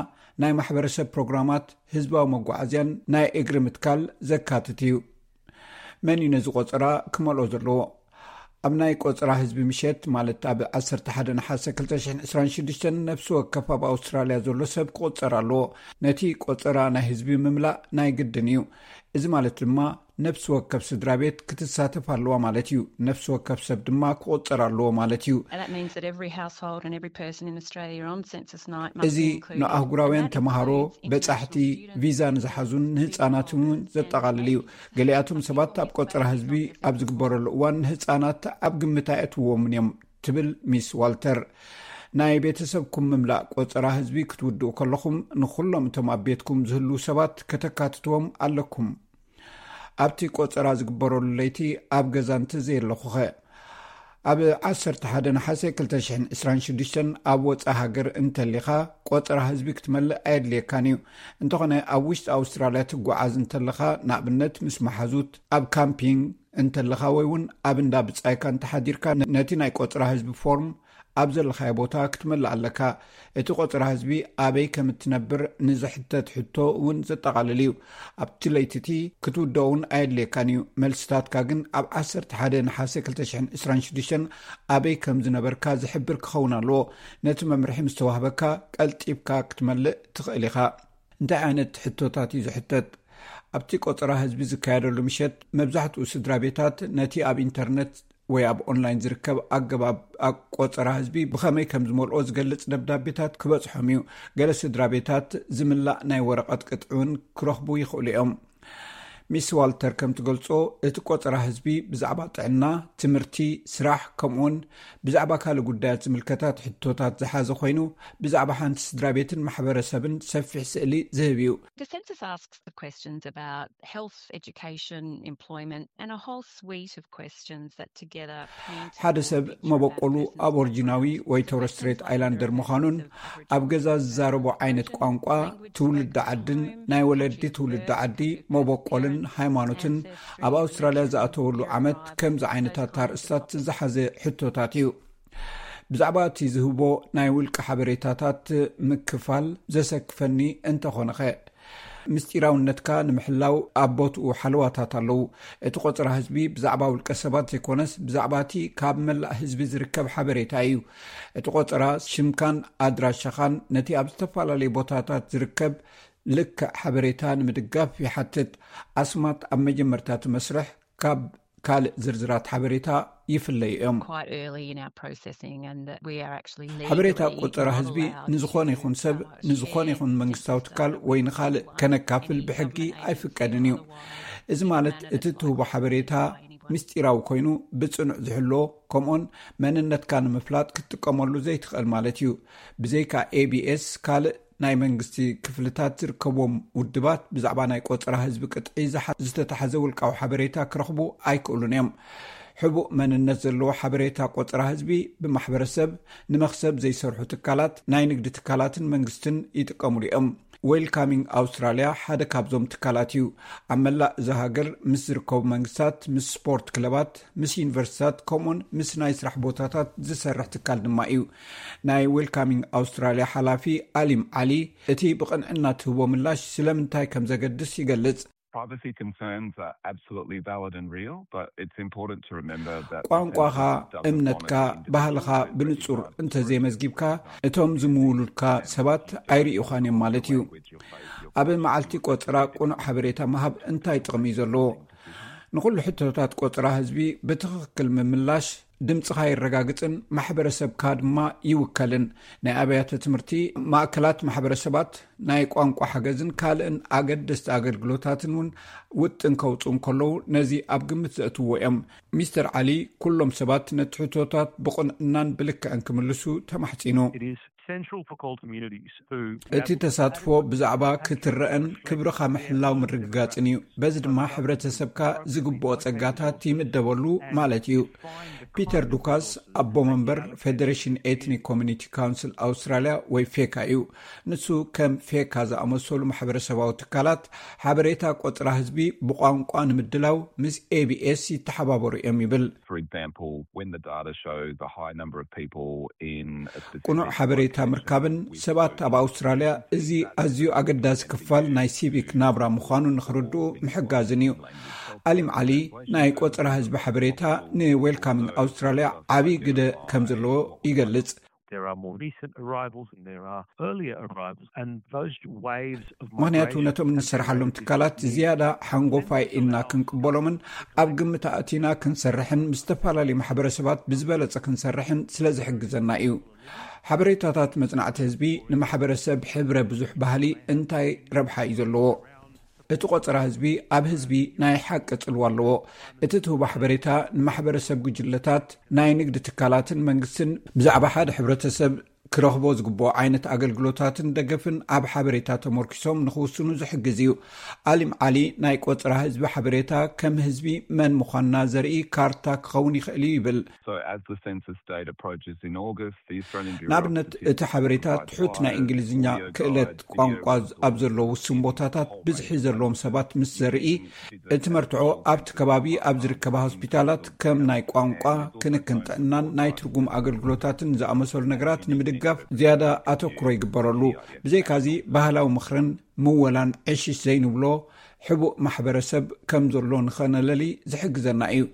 ናይ ማሕበረሰብ ፕሮግራማት፣ ህዝባዊ መጓዓዝያን ናይ እግሪ ምትካል ዘካትት እዩ። መን እዩ ነዚ ቆጸራ ክመልኦ ዘለዎ? ኣብ ናይ ቆጸራ ህዝቢ ምሸት፣ ማለት ኣብ ዓሰርተ ሓደ ነሓሰ ክልተ ሽሕን ዕስራን ሽዱሽተን፣ ነፍሲ ወከፍ ኣብ ኣውስትራልያ ዘሎ ሰብ ክቑጸር ኣለዎ። ነቲ ቆጸራ ናይ ህዝቢ ምምላእ ናይ ግድን እዩ። እዚ ማለት ድማ ነፍሲ ወከፍ ስድራ ቤት ክትሳተፍ ኣለዋ ማለት እዩ። ነፍሲ ወከፍ ሰብ ድማ ክቑጸር ኣለዎ ማለት እዩ። And that means that every household and every person in Australia on census night must እዚ be included. ንኣህጉራውያን ተምሃሮ፣ በጻሕቲ፣ ቪዛ ንዝሓዙን ንህጻናትን እውን ዘጠቓልል እዩ። ገሊኣቶም ሰባት ኣብ ቆጸራ ህዝቢ ኣብ ዝግበረሉ እዋን ንህጻናት ኣብ ግምት ኣየእትውዎምን እዮም፣ ትብል ሚስ ዋልተር። ናይ ቤተሰብኩም ምምላእ ቆጸራ ህዝቢ ክትውድኡ ከለኹም፣ ንኹሎም እቶም ኣብ ቤትኩም ዝህልዉ ሰባት ከተካትትዎም ኣለኩም። ኣብቲ ቆጸራ ዝግበረሉ ለይቲ ኣብ ገዛ እንተዘየለኹኸ? ኣብ ዓሰርተ ሓደ ነሓሰ ክልተ ሽሕን ዕስራን ሽዱሽተን ኣብ ወጻኢ ሃገር እንተሊኻ፣ ቆጸራ ህዝቢ ክትመልእ ኣየድልየካን እዩ። እንተኾነ፣ ኣብ ውሽጢ ኣውስትራልያ ትጓዓዝ እንተለኻ፣ ንኣብነት ምስ መሓዙት፣ ኣብ ካምፒንግ እንተለኻ ወይ እውን ኣብ እንዳ ብጻይካ እንተሓዲርካ፣ ነ-፣ ነቲ ናይ ቆጸራ ህዝቢ ፎርም ኣብ ዘለኻዮ ቦታ ክትመልእ ኣለካ። እቲ ቆጸራ ህዝቢ ኣበይ ከም እትነብር ንዝሕተት ሕቶ እውን ዘጠቓልል እዩ። ኣብቲ ለይቲ እቲ ክትውድኦ እውን ኣየድልየካን እዩ። መልስታትካ ግን ኣብ ዓሰርተ ሓደ ነሓሰ ክልተ ሽሕን ዕስራን ሽዱሽተን ኣበይ ከም ዝነበርካ ዝሕብር ክኸውን ኣለዎ። ነቲ መምርሒ ምስ ተዋህበካ፣ ቀልጢፍካ ክትመልእ ትኽእል ኢኻ። እንታይ ዓይነት ሕቶታት እዩ ዝሕተት? ኣብቲ ቆጸራ ህዝቢ ዝካየደሉ ምሸት፣ መብዛሕትኡ ስድራ ቤታት ነቲ ኣብ ኢንተርነት ወይ ኣብ ኦንላይን ዝርከብ ኣገባብ ኣብ ቆጸራ ህዝቢ ብኸመይ ከም ዝመልኦ ዝገልጽ ደብዳቤታት ክበጽሖም እዩ። ገለ ስድራ ቤታት ዝምላእ ናይ ወረቐት ቅጥዒ እውን ክረኽቡ ይኽእሉ እዮም። ሚስ ዋልተር ከም ትገልጾ፣ እቲ ቆጸራ ህዝቢ ብዛዕባ ጥዕና፣ ትምህርቲ፣ ስራሕ፣ ከምኡውን ብዛዕባ ካልእ ጉዳያት ዝምልከታት ሕቶታት ዝሓዘ ኮይኑ፣ ብዛዕባ ሓንቲ ስድራ ቤትን ማሕበረሰብን ሰፊሕ ስእሊ ዝህብ እዩ። The census asks the questions about health, education, employment, and a whole suite of questions that together paint ሓደ ሰብ መበቆሉ ኣቦርጂናዊ ወይ ቶረስ ስትሬት ኣይላንደር ምዃኑን፣ ኣብ ገዛ ዝዛረቦ ዓይነት ቋንቋ፣ ትውልዲ ዓድን ናይ ወለዲ ትውልዲ ዓዲ፣ መበቆልን ሃይማኖትን፣ ኣብ ኣውስትራልያ ዝኣተወሉ ዓመት፣ ከምዚ ዓይነታት ኣርእስታት ዝሓዘ ሕቶታት እዩ። ብዛዕባ እቲ ዝህቦ ናይ ውልቂ ሓበሬታታት ምክፋል ዘሰክፈኒ እንተኾነኸ? ምስጢራውነትካ ንምሕላው ኣብ ቦትኡ ሓለዋታት ኣለዉ። እቲ ቆጸራ ህዝቢ ብዛዕባ ውልቀ ሰባት ዘይኮነስ፣ ብዛዕባ እቲ ካብ መላእ ህዝቢ ዝርከብ ሓበሬታ እዩ። እቲ ቆጸራ ሽምካን ኣድራሻኻን ነቲ ኣብ ዝተፈላለዩ ቦታታት ዝርከብ ልክዕ ሓበሬታ ንምድጋፍ ይሓትት። ኣስማት ኣብ መጀመርታ እቲ መስርሕ ካብ ካልእ ዝርዝራት ሓበሬታ ይፍለዩ እዮም። Quite early in our processing, and that we are actually ሓበሬታ legally ቆጸራ not ህዝቢ allowed ንዝኾነ to, ይኹን ሰብ፣ uh, ንዝኾነ share ይኹን መንግስታዊ ትካል ወይ ንኻልእ ከነካፍል ብሕጊ ኣይፍቀድን እዩ። እዚ ማለት እቲ ትህቦ ሓበሬታ ምስጢራዊ ኮይኑ ብጽኑዕ ዝሕሎ፣ ከምኡን መንነትካ ንምፍላጥ ክትጥቀመሉ ዘይትኽእል ማለት እዩ። ብዘይካ ኤ ቢ ኤስ፣ ካልእ ናይ መንግስቲ ክፍልታት ዝርከብዎም ውድባት ብዛዕባ ናይ ቆጸራ ህዝቢ ቅጥዒ ዝሓ-፣ ዝተታሕዘ ውልቃዊ ሓበሬታ ክረኽቡ ኣይክእሉን እዮም። ሕቡእ መንነት ዘለዎ ሓበሬታ ቆጸራ ህዝቢ ብማሕበረሰብ ንመኽሰብ ዘይሰርሑ ትካላት፣ ናይ ንግዲ ትካላትን መንግስትን ይጥቀሙሉ እዮም። ዌልካሚንግ ኣውስትራልያ ሓደ ካብዞም ትካላት እዩ። ኣብ መላእ እዛ ሃገር ምስ ዝርከቡ መንግስታት፣ ምስ ስፖርት ክለባት፣ ምስ ዩኒቨርሲታት፣ ከምኡን ምስ ናይ ስራሕ ቦታታት ዝሰርሕ ትካል ድማ እዩ። ናይ ዌልካሚንግ ኣውስትራልያ ሓላፊ ኣሊም ዓሊ፣ እቲ ብቕንዕና ትህቦ ምላሽ ስለምንታይ ከም ዘገድስ ይገልጽ። Privacy concerns are absolutely valid and real, but it's important to remember that ቋንቋኻ፣ እምነትካ፣ ባህልኻ ብንጹር እንተዘይመዝጊብካ፣ እቶም ዝምውሉልካ ሰባት ኣይርእዩኻን እዮም ማለት እዩ። ኣብ መዓልቲ ቆጸራ ቅኑዕ ሓበሬታ ምሃብ እንታይ ጥቕሚ እዩ ዘለዎ? ንኹሉ ሕቶታት ቆጸራ ህዝቢ ብትኽክል ምምላሽ ድምጽኻ የረጋግጽን ማሕበረሰብካ ድማ ይውከልን። ናይ ኣብያተ ትምህርቲ፣ ማእከላት ማሕበረሰባት፣ ናይ ቋንቋ ሓገዝን ካልእን ኣገደስቲ ኣገልግሎታትን እውን ውጥን ከውጽኡ እንከለዉ ነዚ ኣብ ግምት ዘእትዎ እዮም። ሚስተር ዓሊ፣ ኩሎም ሰባት ነቲ ሕቶታት ብቕንዕናን ብልክዕን ክምልሱ ተማሕጺኑ። It is central for call communities who እቲ ተሳትፎ ብዛዕባ ክትረአን ክብርኻ ምሕላው ምርግጋጽን እዩ። በዚ ድማ ሕብረተሰብካ ዝግብኦ ጸጋታት ይምደበሉ ማለት እዩ። ፒተር ዱካስ፣ ኣቦ መንበር ፌደሬሽን ኤትኒክ ኮሚኒቲ ካውንስል ኣውስትራልያ ወይ ፌካ እዩ። ንሱ ከም ፌካ ዝኣመሰሉ ማሕበረሰባዊ ትካላት ሓበሬታ ቆጽራ ህዝቢ ብቋንቋ ንምድላው ምስ ኤ ቢ ኤስ ይተሓባበሩ እዮም ይብል። For example, when the data shows a high number of people in a specific ቅኑዕ ሓበሬታ ምርካብን ሰባት ኣብ ኣውስትራልያ እዚ ኣዝዩ ኣገዳሲ ክፋል ናይ ሲቪክ ናብራ ምዃኑ ንኽርድኡ ምሕጋዝን እዩ። ኣሊም ዓሊ ናይ ቆጸራ ህዝቢ ሓበሬታ ንዌልካሚንግ ኣውስትራልያ ዓብዪ ግደ ከም ዘለዎ ይገልጽ። There are more recent arrivals and there are earlier arrivals, and those waves of ምኽንያቱ migration ነቶም have been እንሰርሓሎም very ትካላት difficult to ዝያዳ ሓንጎፋይ ኢልና ክንቅበሎምን ኣብ ግምት ኣእቲና ክንሰርሕን ምስ ዝተፈላለዩ ማሕበረሰባት ብዝበለጸ ክንሰርሕን ስለ ዝሕግዘና እዩ። ሓበሬታታት መጽናዕቲ ህዝቢ ንማሕበረሰብ ሕብረ ብዙሕ ባህሊ እንታይ ረብሓ እዩ ዘለዎ? እቲ ቆጸራ ህዝቢ ኣብ ህዝቢ ናይ ሓቂ ጽልዋ ኣለዎ። እቲ ትህቦ ሓበሬታ ንማሕበረሰብ፣ ጉጅለታት፣ ናይ ንግዲ ትካላትን መንግስትን ብዛዕባ ሓደ ሕብረተሰብ ክረኽቦ ዝግብኦ ዓይነት ኣገልግሎታትን ደገፍን ኣብ ሓበሬታ ተመርኪሶም ንኽውስኑ ዝሕግዝ እዩ። ኣሊም ዓሊ ናይ ቆጽራ ህዝቢ ሓበሬታ ከም ህዝቢ መን ምዃንና ዘርኢ ካርታ ክኸውን ይኽእል እዩ ይብል። So as the census date approaches in August, the Australian Bureau ንኣብነት እቲ ሓበሬታ ትሑት ናይ እንግሊዝኛ ክእለት ቋንቋ ኣብ ዘለዉ ውሱን ቦታታት ብዝሒ ዘለዎም ሰባት ምስ ዘርኢ እቲ መርትዖ ኣብቲ ከባቢ ኣብ ዝርከባ ሆስፒታላት ከም ናይ ቋንቋ፣ ክንክን ጥዕናን ናይ ትርጉም ኣገልግሎታትን ዝኣመሰሉ ነገራት ንምድጋፍ ዝያዳ ኣተኩሮ ይግበረሉ። ብዘይካዚ ባህላዊ ምኽርን ምወላን ዕሽሽ ዘይንብሎ ሕቡእ ማሕበረሰብ ከም ዘሎ ንኸነለሊ ዝሕግዘና እዩ።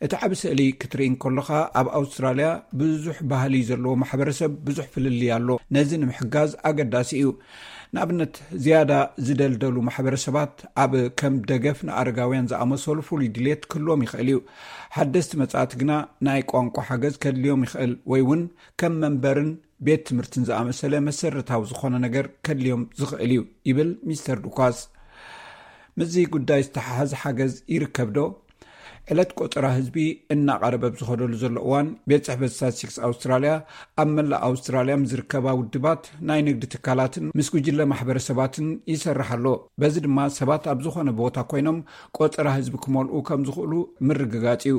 እቲ ዓቢ ስእሊ ክትርኢ እንከለኻ ኣብ ኣውስትራልያ ብዙሕ ባህሊ ዘለዎ ማሕበረሰብ ብዙሕ ፍልልይ ኣሎ። ነዚ ንምሕጋዝ ኣገዳሲ እዩ። ንኣብነት ዝያዳ ዝደልደሉ ማሕበረሰባት ኣብ ከም ደገፍ ንኣረጋውያን ዝኣመሰሉ ፍሉይ ድሌት ክህልዎም ይኽእል እዩ። ሓደስቲ መጻእቲ ግና ናይ ቋንቋ ሓገዝ ከድልዮም ይኽእል ወይ እውን ከም መንበርን ቤት ትምህርትን ዝኣመሰለ መሰረታዊ ዝኾነ ነገር ከድልዮም ዝኽእል እዩ ይብል ሚስተር ዱኳስ። ምስዚ ጉዳይ ዝተሓሓዝ ሓገዝ ይርከብ ዶ? ዕለት ቆጸራ ህዝቢ እናቐረበ ኣብ ዝኸደሉ ዘሎ እዋን ቤት ጽሕፈት ስታትስቲክስ ኣውስትራልያ ኣብ መላእ ኣውስትራልያ ምስ ዝርከባ ውድባት ናይ ንግዲ ትካላትን ምስ ጉጅለ ማሕበረሰባትን ይሰርሕ ኣሎ። በዚ ድማ ሰባት ኣብ ዝኾነ ቦታ ኮይኖም ቆጸራ ህዝቢ ክመልኡ ከም ዝኽእሉ ምርግጋጽ እዩ።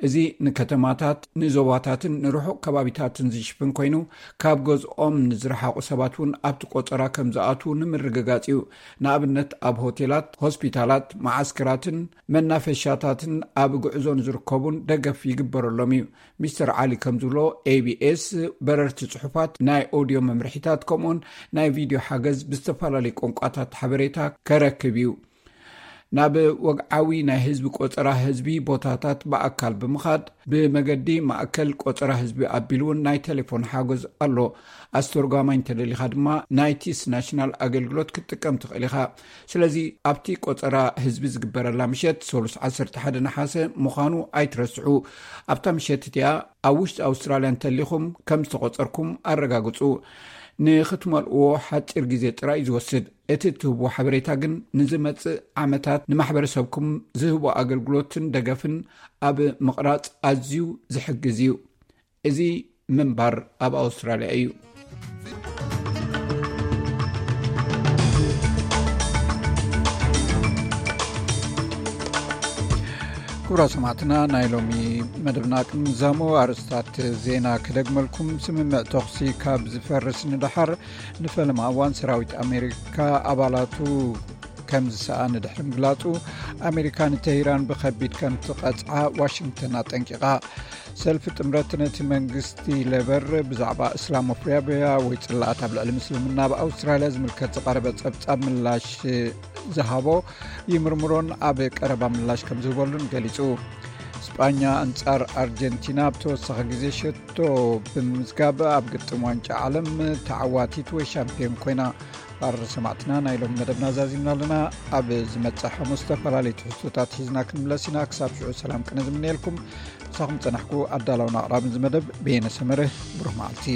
እዚ ንከተማታት ንዞባታትን ንርሑቕ ከባቢታትን ዝሽፍን ኮይኑ ካብ ገዝኦም ንዝረሓቑ ሰባት እውን ኣብቲ ቆጸራ ከም ዝኣትዉ ንምርግጋጽ እዩ። ንኣብነት ኣብ ሆቴላት፣ ሆስፒታላት፣ መዓስከራትን መናፈሻታትን ኣብ ጉዕዞ ንዝርከቡን ደገፍ ይግበረሎም እዩ። ሚስተር ዓሊ ከም ዝብሎ ኤቢኤስ በረርቲ ጽሑፋት፣ ናይ ኦድዮ መምርሒታት ከምኡውን ናይ ቪድዮ ሓገዝ ብዝተፈላለዩ ቋንቋታት ሓበሬታ ከረክብ እዩ። ናብ ወግዓዊ ናይ ህዝቢ ቆጸራ ህዝቢ ቦታታት ብኣካል ብምኻድ ብመገዲ ማእከል ቆጸራ ህዝቢ ኣቢሉ እውን ናይ ቴሌፎን ሓገዝ ኣሎ። ኣስተርጓማይ እንተደሊኻ ድማ ናይ ቲስ ናሽናል ኣገልግሎት ክትጥቀም ትኽእል ኢኻ። ስለዚ ኣብቲ ቆጸራ ህዝቢ ዝግበረላ ምሸት ሰሉስ ዓሰርተ ሓደ ነሓሰ ምዃኑ ኣይትረስዑ። ኣብታ ምሸት እቲኣ ኣብ ውሽጢ ኣውስትራልያ እንተሊኹም ከም ዝተቖጸርኩም ኣረጋግጹ። ንኽትመልእዎ ሓጺር ግዜ ጥራይ እዩ ዝወስድ። እቲ እትህብዎ ሓበሬታ ግን ንዝመጽእ ዓመታት ንማሕበረሰብኩም ዝህቦ ኣገልግሎትን ደገፍን ኣብ ምቕራጽ ኣዝዩ ዝሕግዝ እዩ። እዚ ምንባር ኣብ ኣውስትራልያ እዩ። ክቡራ ሰማዕትና፣ ናይ ሎሚ መደብና ቅድሚ ዛሞ ኣርእስታት ዜና ክደግመልኩም። ስምምዕ ተኹሲ ካብ ዝፈርስ ንደሓር ንፈለማ እዋን ሰራዊት ኣሜሪካ ኣባላቱ ከም ዝሰኣነ ድሕሪ ምግላጹ፣ ኣሜሪካ ንተሂራን ብኸቢድ ከም ትቐጽዓ ዋሽንግተን ኣጠንቂቓ። ሰልፊ ጥምረት ነቲ መንግስቲ ሌበር ብዛዕባ እስላሞፎቢያ ወይ ጽላኣት ኣብ ልዕሊ ምስልምና ኣብ ኣውስትራልያ ዝምልከት ዝቐረበ ጸብጻብ ምላሽ ዝሃቦ ይምርምሮን ኣብ ቀረባ ምላሽ ከም ዝህበሉን ገሊጹ። ስጳኛ ኣንጻር ኣርጀንቲና ኣብ ተወሳኺ ግዜ ሸቶ ብምምዝጋብ ኣብ ግጥም ዋንጫ ዓለም ተዓዋቲት ወይ ሻምፒዮን ኮይና። ኣረ ሰማዕትና፣ ናይ ሎም መደብና ዛዚምና ኣለና። ኣብ ዝመጽእ ሓሙስ ዝተፈላለዩ ትሕዝቶታት ሒዝና ክንምለስ ኢና። ክሳብ ሽዑ ሰላም ቅነ ዝምነየልኩም። ምሳኹም ጸናሕኩ ኣዳላውን ኣቕራብን ዝመደብ በየነ ሰመረ። ብሩኽ መዓልቲ።